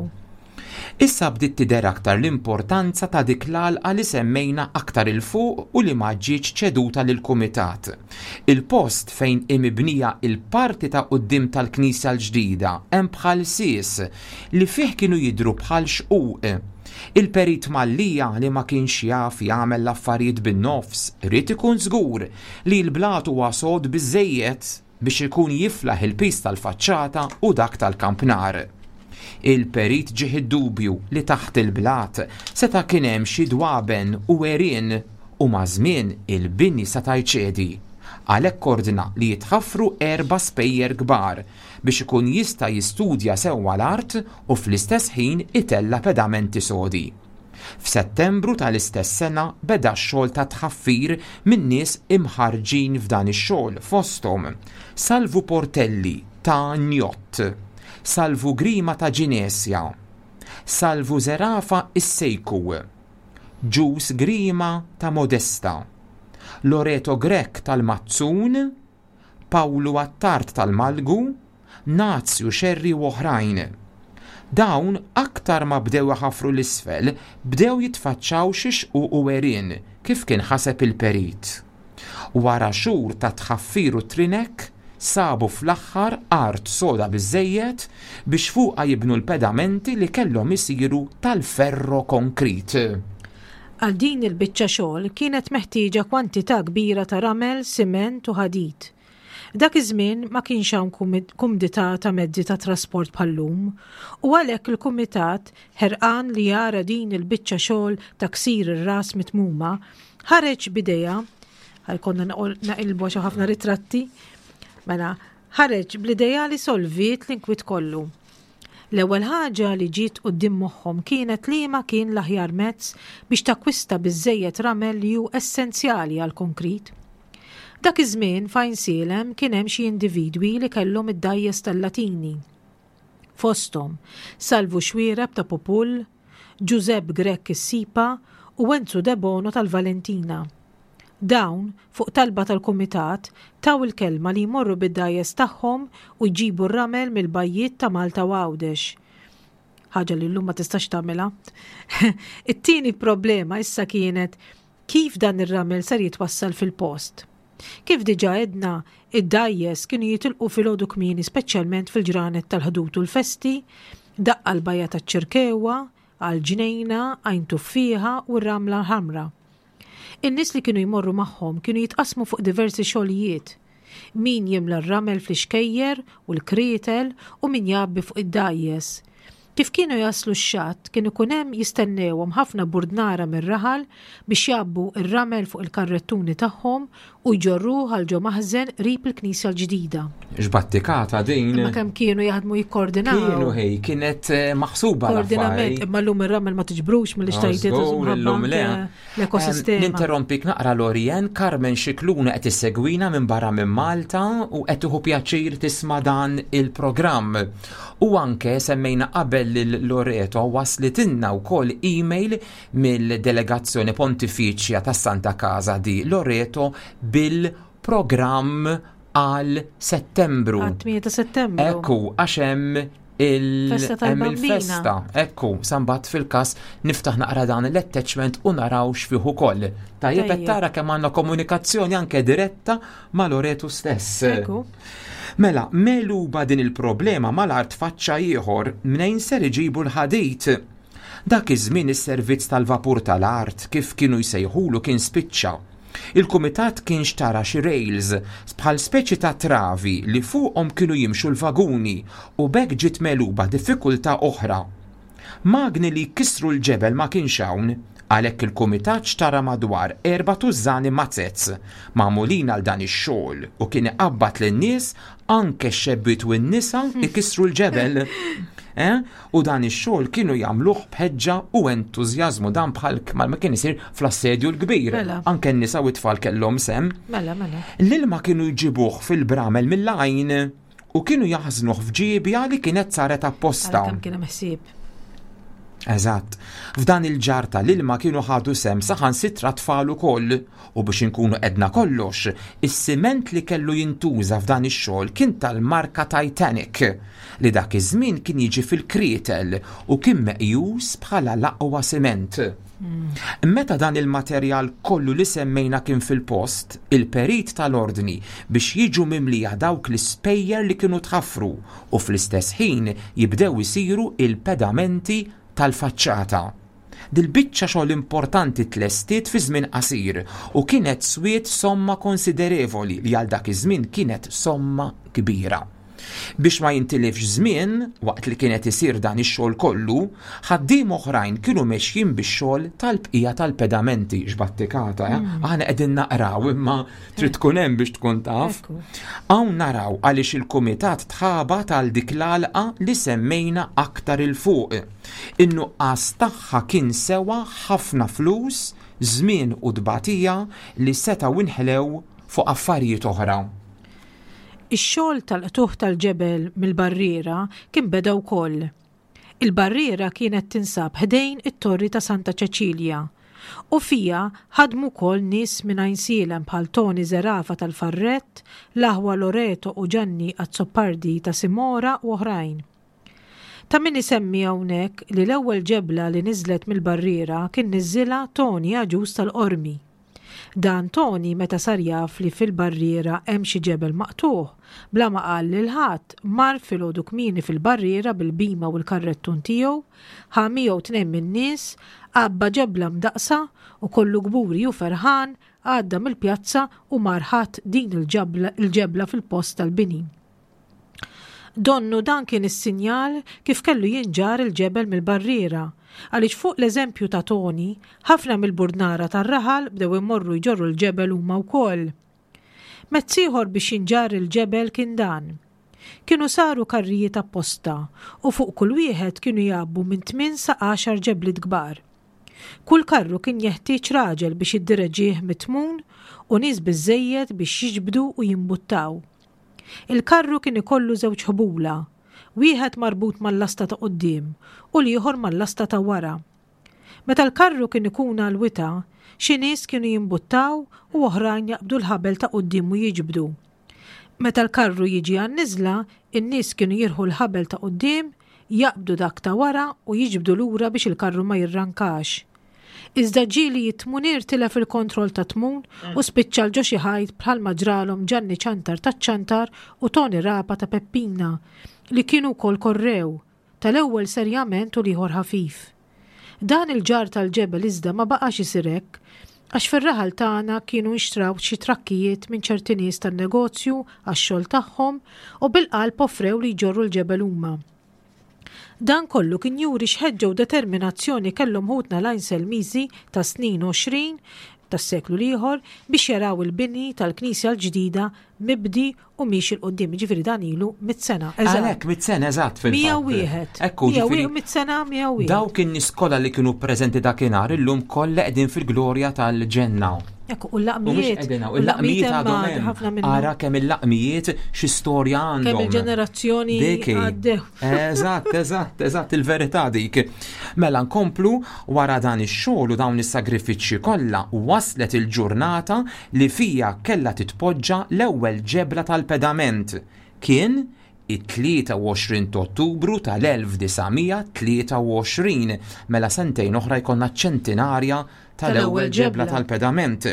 Issa bdiet tidher aktar l-importanza ta' dik l-għalqa li semmejna aktar 'il fuq u li ma ġietx ċeduta lill-Kumitat. Il-post fejn hi mibnija il-parti ta' quddiem tal-knisja l-ġdida hemm bħal sies li fih kienu jidhru bħal xquq. Il-Perit Mallia li ma kienx jaf jagħmel l-affarijiet bin-nofs ried ikun żgur li l-blat huwa sod biżżejjed biex ikun jiflaħ il-piż tal-faċċata u dak tal-kampnar. Il-perit ġieh id-dubju li taħt il-blat seta' kien hemm xi dwaben u għerien u maż-żmien il-bini seta' jċedi. Għalhekk ordna li jitħaffru erba' spejjer kbar biex ikun jista' jistudja sewwa l-art u fl-istess ħin itella' pedamenti sodi. F'Settembru tal-istess sena beda x-xogħol ta' tħaffir minn nies imħarrġin f'dan ix-xogħol fosthom Salvu Portelli ta' Njott, Salvu Grima ta' Ġinesja, Salvu Zerafa is-Sejku, Ġus Grima ta' Modesta, Loreto Grech tal-Mazzun, Pawlu Attard tal-Malgu, Nazju Xerri u oħrajn. Dawn aktar ma bdew iħaffru 'l isfel, bdew jitfaċċaw xi xquq u għerien, kif kien ħaseb il-perit. Wara xhur ta' tħaffir u trinek, sabu fl-aħħar art soda biżżejjed biex fuqha jibnu l-pedamenti li kellhom isiru tal-ferro-konkrit. Għal din il-biċċa xogħol kienet meħtieġa kwantità kbira ta' ramel, siment u ħadid. Dak iż-żmien ma kienx hawn kumdità ta' mezzi ta' trasport bħal-lum u għalhekk il-kumitat, ħerqan li jara din il-biċċa xogħol ta' ksir ir-ras mitmuma, ħareġ b'idea, ħa jkollna naqilbu għax hawn ħafna ritratti, mela, ħareġ bl-idea li solviet l-inkwiet kollu. L-ewwel ħaġa li ġiet quddiem moħħhom kienet liema kien l-aħjar mezz biex takkwista biżżejjed ramel li hu essenzjali għall-konkrit. Dak iż-żmien f'Għajnsielem kien hemm xi individwi li kellhom id-dgħajjes tal-Latini. Fosthom, Salvu Xuereb ta' Pupull, Ġużepp Grech is-Sipa u Enzu Debono tal-Valentina. Dawn, fuq talba tal-Kumitat, taw il-kelma li jmorru bid-dgħajjes tagħhom u jġibu r-ramel mill-bajjiet ta' Malta u Għawdex. Ħaġa li llum ma tistax tagħmilha. It-tieni problema issa kienet kif dan ir-ramel ser jitwassal fil-post. Kif diġà għedna, id-dgħajjes kienu jitilqu filgħodu kmieni speċjalment fil-ġranet tal-Ħdud u l-festi, daqqa l-bajja taċ-Ċirkewwa, għall-Ġnejna, Għajn Tuffieħa u r-Ramla l-Ħamra. In-nies li kienu jmorru magħhom kienu jitqassmu fuq diversi xogħlijiet. Min jimla r-ramel fl-ixkejjer u l-krietel u min jgħabbi fuq id-dgħajjes. Kif kienu jaslu x-xatt kien ikun hemm jistennewhom ħafna burdnara mir-raħal biex jgħabbu r-ramel fuq il-karrettuni tagħhom u jġorruh għal ġo maħżen qrib il-knisja l-ġdida. X'battikata din. Imma kemm kienu jaħdmu jikkoordinaw. Kienu ħej, kienet eh, maħsuba. Koordinament, imma llum ir-ramel ma tiġbrux mill-ixtajtiet illum le. L-ekosistema. Ninterrompik naqra Lorien, Carmen Scicluna qed issegwina minn barra minn Malta u qed tieħu pjaċir tisma' dan il-programm. U anke semmejna qabel lil Loreto waslitilna wkoll email mill-Delegazzjoni Pontifiċja tas-Santa Casa di Loreto bil-programm għal Settembru. Għat-8 ta' Settembru. Ekku, għax hemm il-festa. Ekku, sambat fil-kas niftaħ naqra dan l-attachment u naraw x'fih ukoll. Tajjeb qed tara kemm għandna komunikazzjoni anke diretta ma' Loreto stess. Ekku. Mela, meluba din il-problema mal-art faċċa ieħor mnejn ser iġibu l-ħadid. Dak iż-żmien is-servizz tal-vapur tal-art, kif kienu jsejħulu, kien spiċċa. Il-kumitat kien xtara xi rails, bħal speċi ta' travi li fuqhom kienu jimxu l-vaguni u b'hekk ġiet megħluba diffikultà oħra. Magni li jkissru l-ġebel ma kienx hawn. Għalhekk il-kumitat xtara madwar erba' tużżani mazzez magħmulin għal dan ix-xogħol u kien iqabbad lin-nies anke x-xebbiet u n-nisa ikissru l-ġebel. Eh? U dan ix-xogħol kienu jagħmluh b'ħeġġa u entużjażmu dan bħal ma kien isir fl-assedju l-kbir. Mela. Anke n-nisa u t-tfal kellhom sem. Mela, mela. L-ilma kienu jġibuh fil-bramel mill-għajn u kienu jaħżnuh f'ġiebja li kienet saret apposta. Kemm kien hemm ħsieb. Eżatt. F'dan il-ġar tal-ilma kienu ħadu sehem saħansitra tfal ukoll u biex inkunu qedna kollox, is-siment li kellu jintuża f'dan ix-xogħol kien tal-marka Titanic li dak iż-żmien kien jiġi fil-krietel u kien meqjus bħala l-aqwa siment. Meta dan il-materjal kollu li semmejna kien fil-post, il-perit tal-ordni biex jiġu mimlija dawk l-ispejjer li kienu tħaffru u fl-istess ħin jibdew isiru il-pedamenti tal-faċċata. Dil-biċċa xogħol importanti tlestiet fi żmien qasir u kienet swiet somma konsiderevoli li għal dak iż-żmien kienet somma kbira. Biex ma jintilifx żmien, waqt li kien qed isir dan ix-xogħol kollu, ħaddiema oħrajn kienu mexjin bix-xogħol tal-bqija tal-pedamenti, x'battikata, eh? Aħna qegħdin naqraw imma trid tkun hemm biex tkun taf. Hawn naraw għaliex il-kumitat tħabat għal dik l-għalqa li semmejna aktar 'il fuq. In-nuqqas tagħha kien sewa ħafna flus, żmien u tbatija li setgħu inħlew fuq affarijiet oħra. Ix-xogħol tal-qtugħ tal-ġebel mill-barriera kien beda wkoll. Il-barriera kienet tinsab ħdejn it-Torri ta' Santa Ċeċilja u fiha ħadmu wkoll nies minn Għajnsielem bħal Toni Zerafa tal-Farrett, l-aħwa Loreto u Ġanni Azzopardi ta' Simora u oħrajn. Ta' min isemmi hawnhekk li l-ewwel ġebla li niżlet mill-barriera kien niżżilha Toni Agius tal-Qormi. Dan Toni meta sar jaf li fil-barriera hemm xi ġebel maqtugħ, bla ma qal lil ħadd, mar filgħodu kmieni fil-barriera bil-bhima u l-karrettun tiegħu, ħa miegħu tnejn min-nies, għabba ġebla mdaqqsa u kollu kburi u ferħan għadda mill-pjazza u mar ħatt din il-ġebla fil-post tal-bini. Donnu dan kien is-sinjal kif kellu jinġarr il-ġebel mill-barriera, għaliex fuq l-eżempju ta' Toni, ħafna mill-burdnara tar-raħal bdew imorru jġorru l-ġebel huma wkoll. Mezz ieħor biex jinġarr il-ġebel kien dan. Kienu saru karrijiet apposta u fuq kull wieħed kienu jgħabbu minn tmien sa għaxar ġebliet kbar. Kull karru kien jeħtieġ raġel biex jiddireġih mit-tmun u nies biżżejjed biex jiġbdu u jimbuttaw. Il-karru kien ikollu żewġ ħbula, wieħed marbut mal-lasta ta' quddiem u l-ieħor mal-lasta ta' wara. Meta l-karru kien ikun għall-wita, xi nies kienu jimbuttaw u oħrajn jaqbdu l-ħabel ta' quddiem u jiġbdu. Meta l-karru jiġi għan-niżla, in-nies kienu jirħu l-ħabel ta' quddiem, jaqbdu dak ta' wara u jiġbdu lura biex il-karru ma jirrankax. Iżda ġieli it-tmunier tilef il-kontroll tat-tmun u spiċċa 'l ġo xi ħajt bħalma ġralhom Ġanni Ċantar taċ-Ċantar u Toni Rapa ta' Peppina, li kienu wkoll korrew, tal-ewwel serjament u l-ieħor ħafif. Dan il-ġarr tal-ġebel iżda ma baqax isir hekk, għax fir-raħal tagħna kienu nxtraw xi trakkijiet minn ċerti nies tan-negozju għax-xogħol tagħhom u bil-qalb offrew li jġorru l-ġebel huma. Dan kollu kien juri x'ħeġġa u determinazzjoni kellhom ħutna l-Għajnselmiżi tas-snin 20 tas-seklu l-ieħor biex jaraw il-bini tal-knisja l-ġdida mibdi u miexi 'l quddiem. Jiġifieri dan ilu mitt sena. Eżatt. Għalhekk mitt sena eżatt fil-fatt. 101. Ekku, jiġifieri. Mitt sena, 101. Dawk in-nies kollha li kienu preżenti dakinhar illum kollha qegħdin fil-glorja tal-ġenna. Ekku, u l-laqmijiet. Il-laqmijiet għadhom hemm. Ara kemm il-laqmijiet xi storja għandhom. Kemm il-ġenerazzjoni għaddew. Eżatt, eżatt, eżatt, il-verità dik. Mela nkomplu wara dan ix-xogħol u dawn is-sagrifiċċji kollha waslet il-ġurnata li fija kellha titpoġġa l-ewwel ġebla tal-pedament. Kien it-23 t'Ottubru tal-1923, mela sentejn oħra jkollna ċ-ċentinarja tal-ewwel ġebla tal-pedament.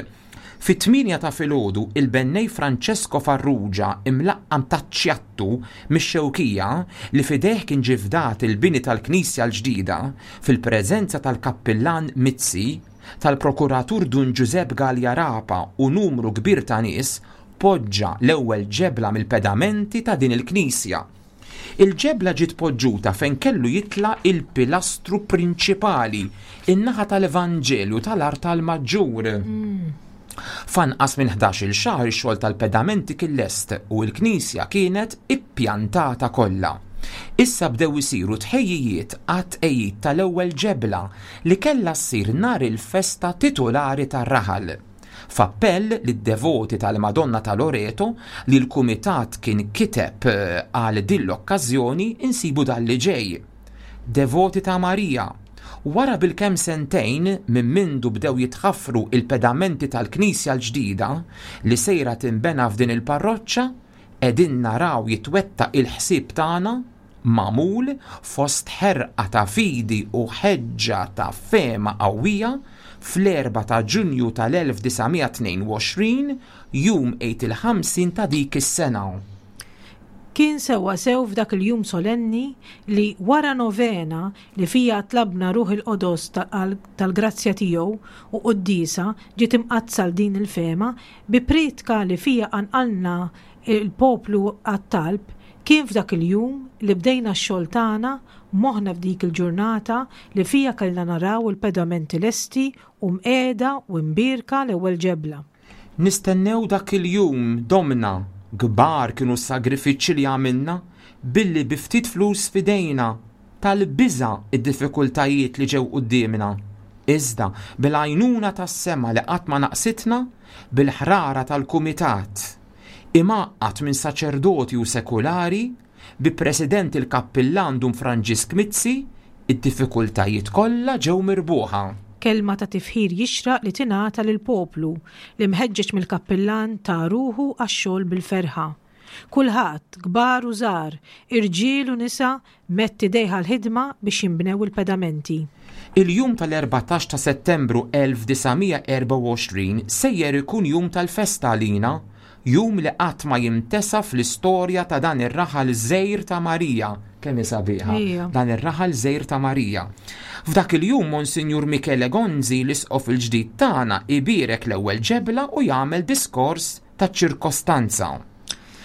Fit-tmienja ta' filgħodu, il-bennej Francesco Farrugia, imlaqqam taċ-Ċjattu, mix-Xewkija, li f'idejh kien ġie fdat il-bini tal-knisja l-ġdida, fil-preżenza tal-kappillan Mizzi, tal-prokuratur Dun Ġużepp Galea Rapa u numru kbir ta' nies, poġġa l-ewwel ġebla mill-pedamenti ta' din il-knisja. Il-ġebla ġiet poġġuta fejn kellu jitla' il-pilastru prinċipali, in-naħa tal-Evanġelju tal-artal maġġur. F'anqas minn ħdax-il xahar ix-xogħol tal-pedamenti kien lest u l-knisja kienet ippjantata kollha. Issa bdew isiru tħejjijiet għat-tqegħid tal-ewwel ġebla li kellha ssir nhar il-festa titulari tar-raħal. F'appell lid-devoti tal-Madonna ta' Loreto li l-kumitat kien kiteb għal din l-okkażjoni insibu dan li ġej. Devoti ta' Marija, wara bilkemm sentejn minn mindu bdew jitħaffru il-pedamenti tal-knisja l-ġdida li sejra tinbena f'din il-parroċċa, qegħdin naraw jitwettaq il-ħsieb tagħna magħmul fost ħerqa ta' fidi u ħeġġa ta' fehma qawwija fl-erbgħa ta' Ġunju tal-1922, jum Għid il-Ħamsin ta' dik is-sena. Kien sewwasew f'dak il-jum solenni li wara novena li fiha tlabna Ruħ il-Qodos tal-grazzja tiegħu u quddiesa ġiet imqaddsa għal din il-fehma bi prietka li fiha qanqalna l-poplu għat-talb, kien f'dak il-jum li bdejna x-xogħol tagħna moħħna f'dik il-ġurnata li fiha kellna naraw il-pedamenti lesti u mqiegħda u mbierka l-ewwel ġebla. Nistennew dak il-jum domna, kbar kienu s-sagrifiċċji li għamilna billi bi ftit flus f'idejna, tal-biża' d-diffikultajiet li ġew quddiemna. Iżda, bil-għajnuna tas-sema li qatt ma naqsitna, bil-ħrara tal-kumitat, imgħaqqad minn saċerdoti u sekulari, Bi President il-Kappillan Dun Franġisk Mizzi, id-diffikultajiet kollha ġew mirbuħa. Kelma ta' tifħir jixraq li tingħata lill-poplu li mħeġġeġ mill-Kappillan ta ruħu għax-xogħol bil-ferħa. Kulħadd, kbar u żgħar, irġiel u nisa medd idejh għall-ħidma biex jinbnew il-pedamenti. Il-jum tal-14 ta' Settembru 1924 sejjer ikun jum tal-festa għalina Jum li qatt ma jintesa fl-istorja ta' dan ir-raħal żgħir ta' Marija. Kemm hi sabiħa. Dan ir-raħal żgħir ta' Marija. F'dak il-jum Monsinjur Michele Gonzi, l-Isqof il-ġdid tagħna, ibierek l-ewwel ġebla u jagħmel diskors taċ-ċirkostanza.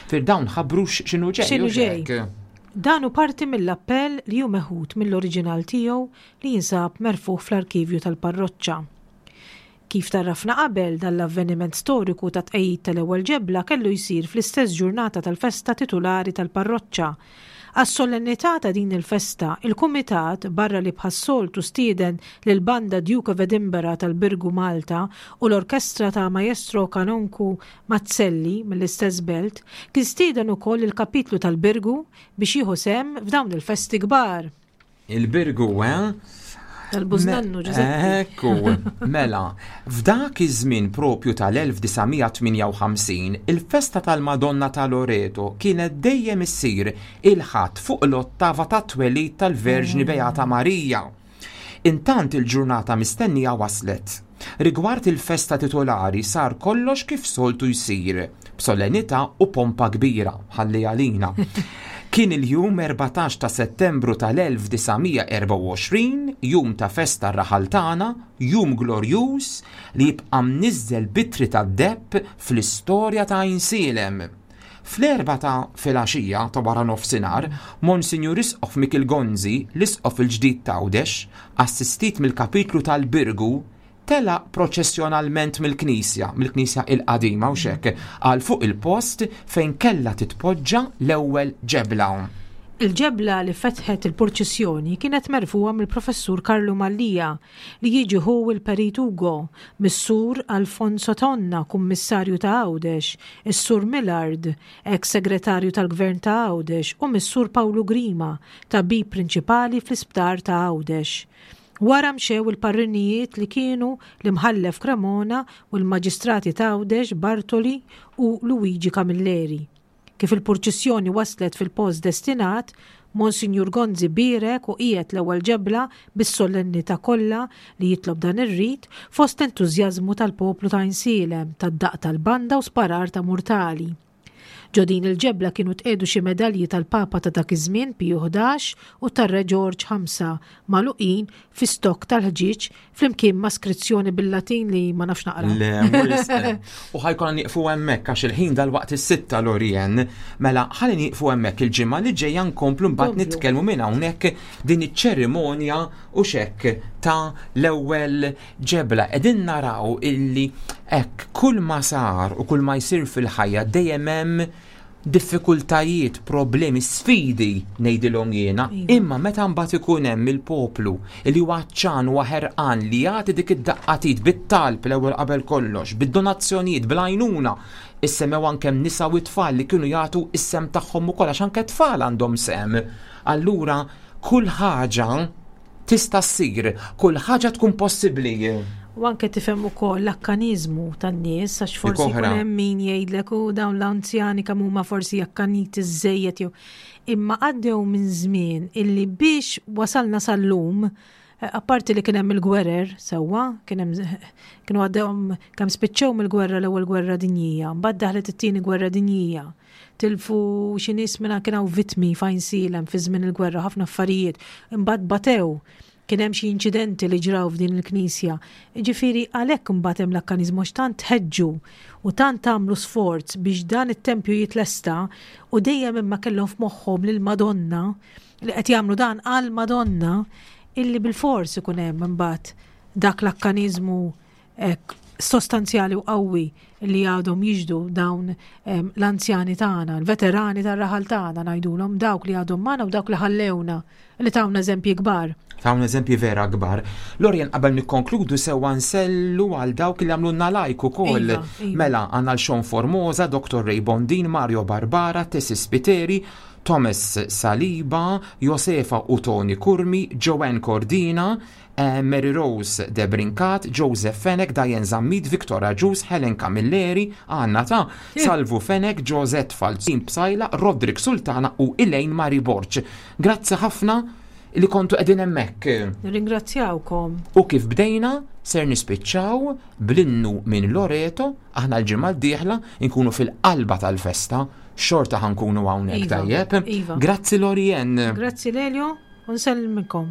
Fir dawn ħabbru x'inhu ġej. X'inhu ġej. Dan hu parti mill-appell li hu meħud mill-oriġinal tiegħu li jinsab merfugħ fl-arkivju tal-parroċċa. Kif tgħarrafna qabel, dan l-avveniment storiku ta' tqegħid tal-ewwel ġebla kellu jsir fl-istess ġurnata tal-festa titulari tal-parroċċa. Għas-solennità ta' din il-festa, il-Kumitat, barra li bħas-soltu stieden lill-Banda Duke of Edinburgh tal-Birgu Malta u l-Orkestra ta' Maestro Kanonku Mazzelli mill-istess belt, kien stieden ukoll lill-Kapitlu tal-Birgu biex jieħu sehem f'dawn il-festi kbar. Il-Birgu, eh? Tal-Bużnannu, Ġużeppi. Ekku, mela, f'dak iż-żmien propju tal-1958, il-festa tal-Madonna ta' Loreto kienet dejjem issir il-Ħadd fuq l-ottava tat-twelid tal-Verġni Beata Marija. Intant il-ġurnata mistennija waslet. Rigward il-festa titolari sar kollox kif soltu jsir, b'solennità u pompa kbira, ħalli għalina. Kien il-jum 14 ta' Settembru tal-1924, jum ta' festa r-raħal tagħna, jum glorjuż li jibqa' mniżżel b'ittri tad-deheb fl-istorja ta' Għajnsielem. Fl-erbgħa ta' filgħaxija ta' wara nofsinhar, Monsinjur Isqof Mikiel Gonzi, l-Isqof il-ġdid t'Għawdex, assistit mill-Kapitlu tal-Birgu, telaq proċessjonalment mill-knisja, mill-knisja il-qadima hux hekk, għal fuq il-post fejn kellha titpoġġa l-ewwel ġebla. Il-ġebla li fetħet il-purċissjoni kienet merfugħa mill-Professur Karlu Mallia, li jiġi ħu l-Perit Ugo, mis-Sur Alfonso Tonna, Kummissarju ta' Għawdex, is-Sur Millard, eks Segretarju tal-Gvern ta' Għawdex u mis-Sur Pawlu Grima, tabib prinċipali fl-Isptar ta' Għawdex. Wara mxew il-parrinijiet li kienu l-Imħallef Cremona u l-Maġistrati t'Għawdex Bartoli u Luigi Camilleri. Kif il-purċissjoni waslet fil-post destinat, Monsinjur Gonzi bierek u qiegħed l-ewwel ġebla bis-solennità kollha li jitlob dan ir-rit, fost entużjażmu tal-poplu ta' Għajnsielem, tad-daqq tal-banda u sparar ta' murtali. Ġo din il-ġebla kienu tqiegħdu xi medalji tal-Papa ta' dak iż-żmien Piju 11 u tar-Re Ġorġ 5 magħluqin fi stokk tal-ħġieġ flimkien ma' skrizzjoni bil-Latin li ma nafx naqra. Le, U ħajkonna nieqfu hemmhekk għax il-ħin dal-waqt is-sitta Lorien. Mela ħalli nieqfu hemmhekk il-ġimgħa li ġejja nkomplu mbagħad nitkellmu minn hawnhekk din iċ-ċerimonja u xekk ta' l-ewwel ġebla. Qegħdin naraw illi hekk kull ma sar u kull ma jsir fil-ħajja dejjem hemm diffikultajiet, problemi, sfidi ngħidilhom jiena, iva. imma meta mbagħad ikun hemm il-poplu li huwa ċan huwa ħerqan li jagħti dik id-daqqatit bit-talb l-ewwel qabel kollox, bid-donazzjonijiet, bl-għajnuna, issemmew anke nisa u tfal li kienu jagħtu is-sem tagħhom ukoll għax anke tfal għandhom sem. Allura kull ħaġa tista' ssir, kull ħaġa tkun possibbli. U anke tifhem ukoll l-akkaniżmu tan-nies għax forsi jkun hemm min jgħidlek u dawn l-anzjani kemm huma forsi akkaniti żejjed jew imma għaddew minn żmien illi biex wasalna sal-lum eh, apparti li kien hemm il-gwerer sewwa, kien hemm kienu għaddewhom kemm spiċċew mill-gwerra l-ewwel gwerra dinjija, mbagħad daħlet it-tieni gwerra dinjija. Tilfu xi nies minn kien hawn vittmi f'Għajnsielem fi żmien il-gwerra ħafna affarijiet. Imbagħad batew kien hemm xi inċidenti li ġraw f'din il-knisja. Ġifieri għalhekk imbagħad hemm l-akkaniżmu għax tant ħeġġu u tant għamlu sforz biex dan it-tempju jitlesta u dejjem imma kellhom f'moħħhom lill-Madonna li qed jagħmlu dan għall-Madonna illi bilfors ikun hemm imbagħad dak l-akkaniżmu hekk sostanzjali u qawwi li għadhom jiġdu dawn l-anzjani tagħna, l-veterani tar-raħal tagħna ngħidulhom dawk li għadhom magħna u dawk li ħallewna li tawna eżempji kbar. Tawna eżempji vera kbar. Lorien qabel nikkonkludu sewwa nsellu għal dawk li għamlulna like ukoll. Iva, iva. Mela għandna l-Sean Formosa, Dr. Ray Bondin, Mario Barbara, Tessi Spiteri, Thomas Saliba, Josefa u Tony Curmi, Joanne Cordina, Mary Rose Debrincat, Joseph Fenech, Diane Zammit, Victor Agius, Helen Camilleri, Anna ta' Salvu Fenech, Josette Falzin Psaila, Roderick Sultana u Elaine Marie Borg. Grazzi ħafna li kontu qegħdin hemmhekk. Nirringrazzjawkom. U kif bdejna, ser nispiċċaw bl-innu minn Loreto, aħna l-ġimgħa d-dieħla nkunu fil-qalba tal-festa, xorta ħankunu hawnhekk iva, tajjeb. Iva. Grazzi Lorien. Grazzi Lelio, u nsellmikom.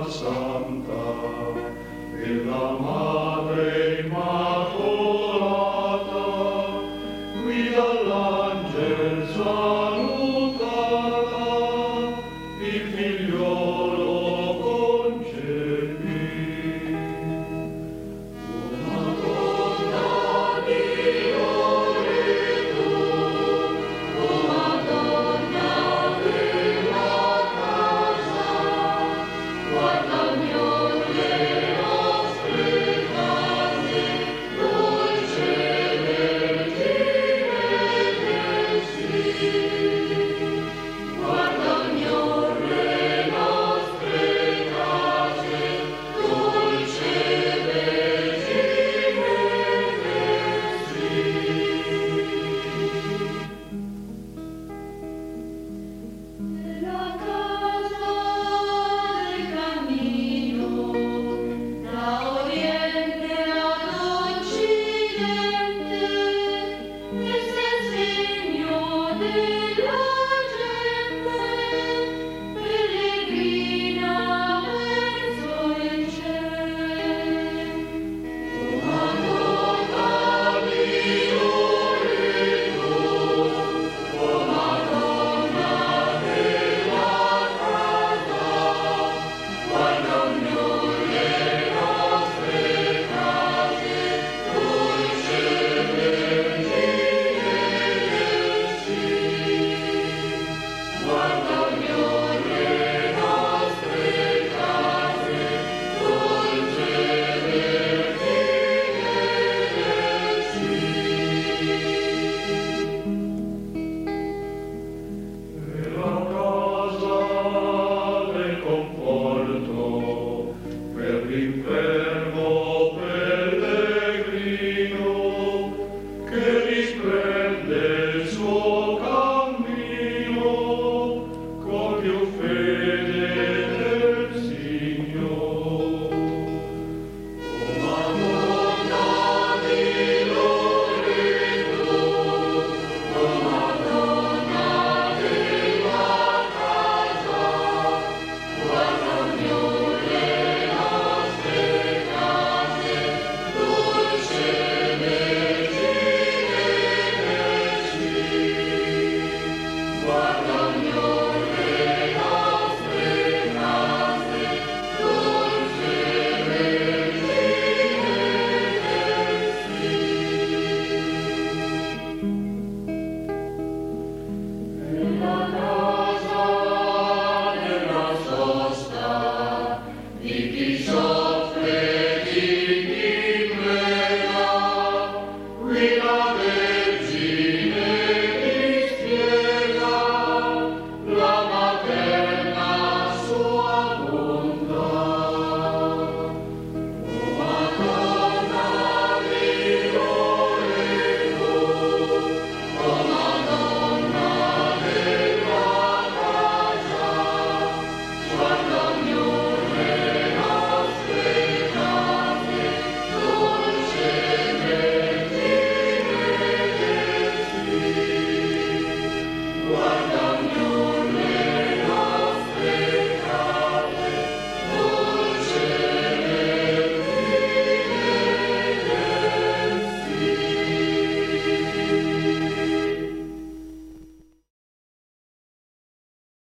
Santa, della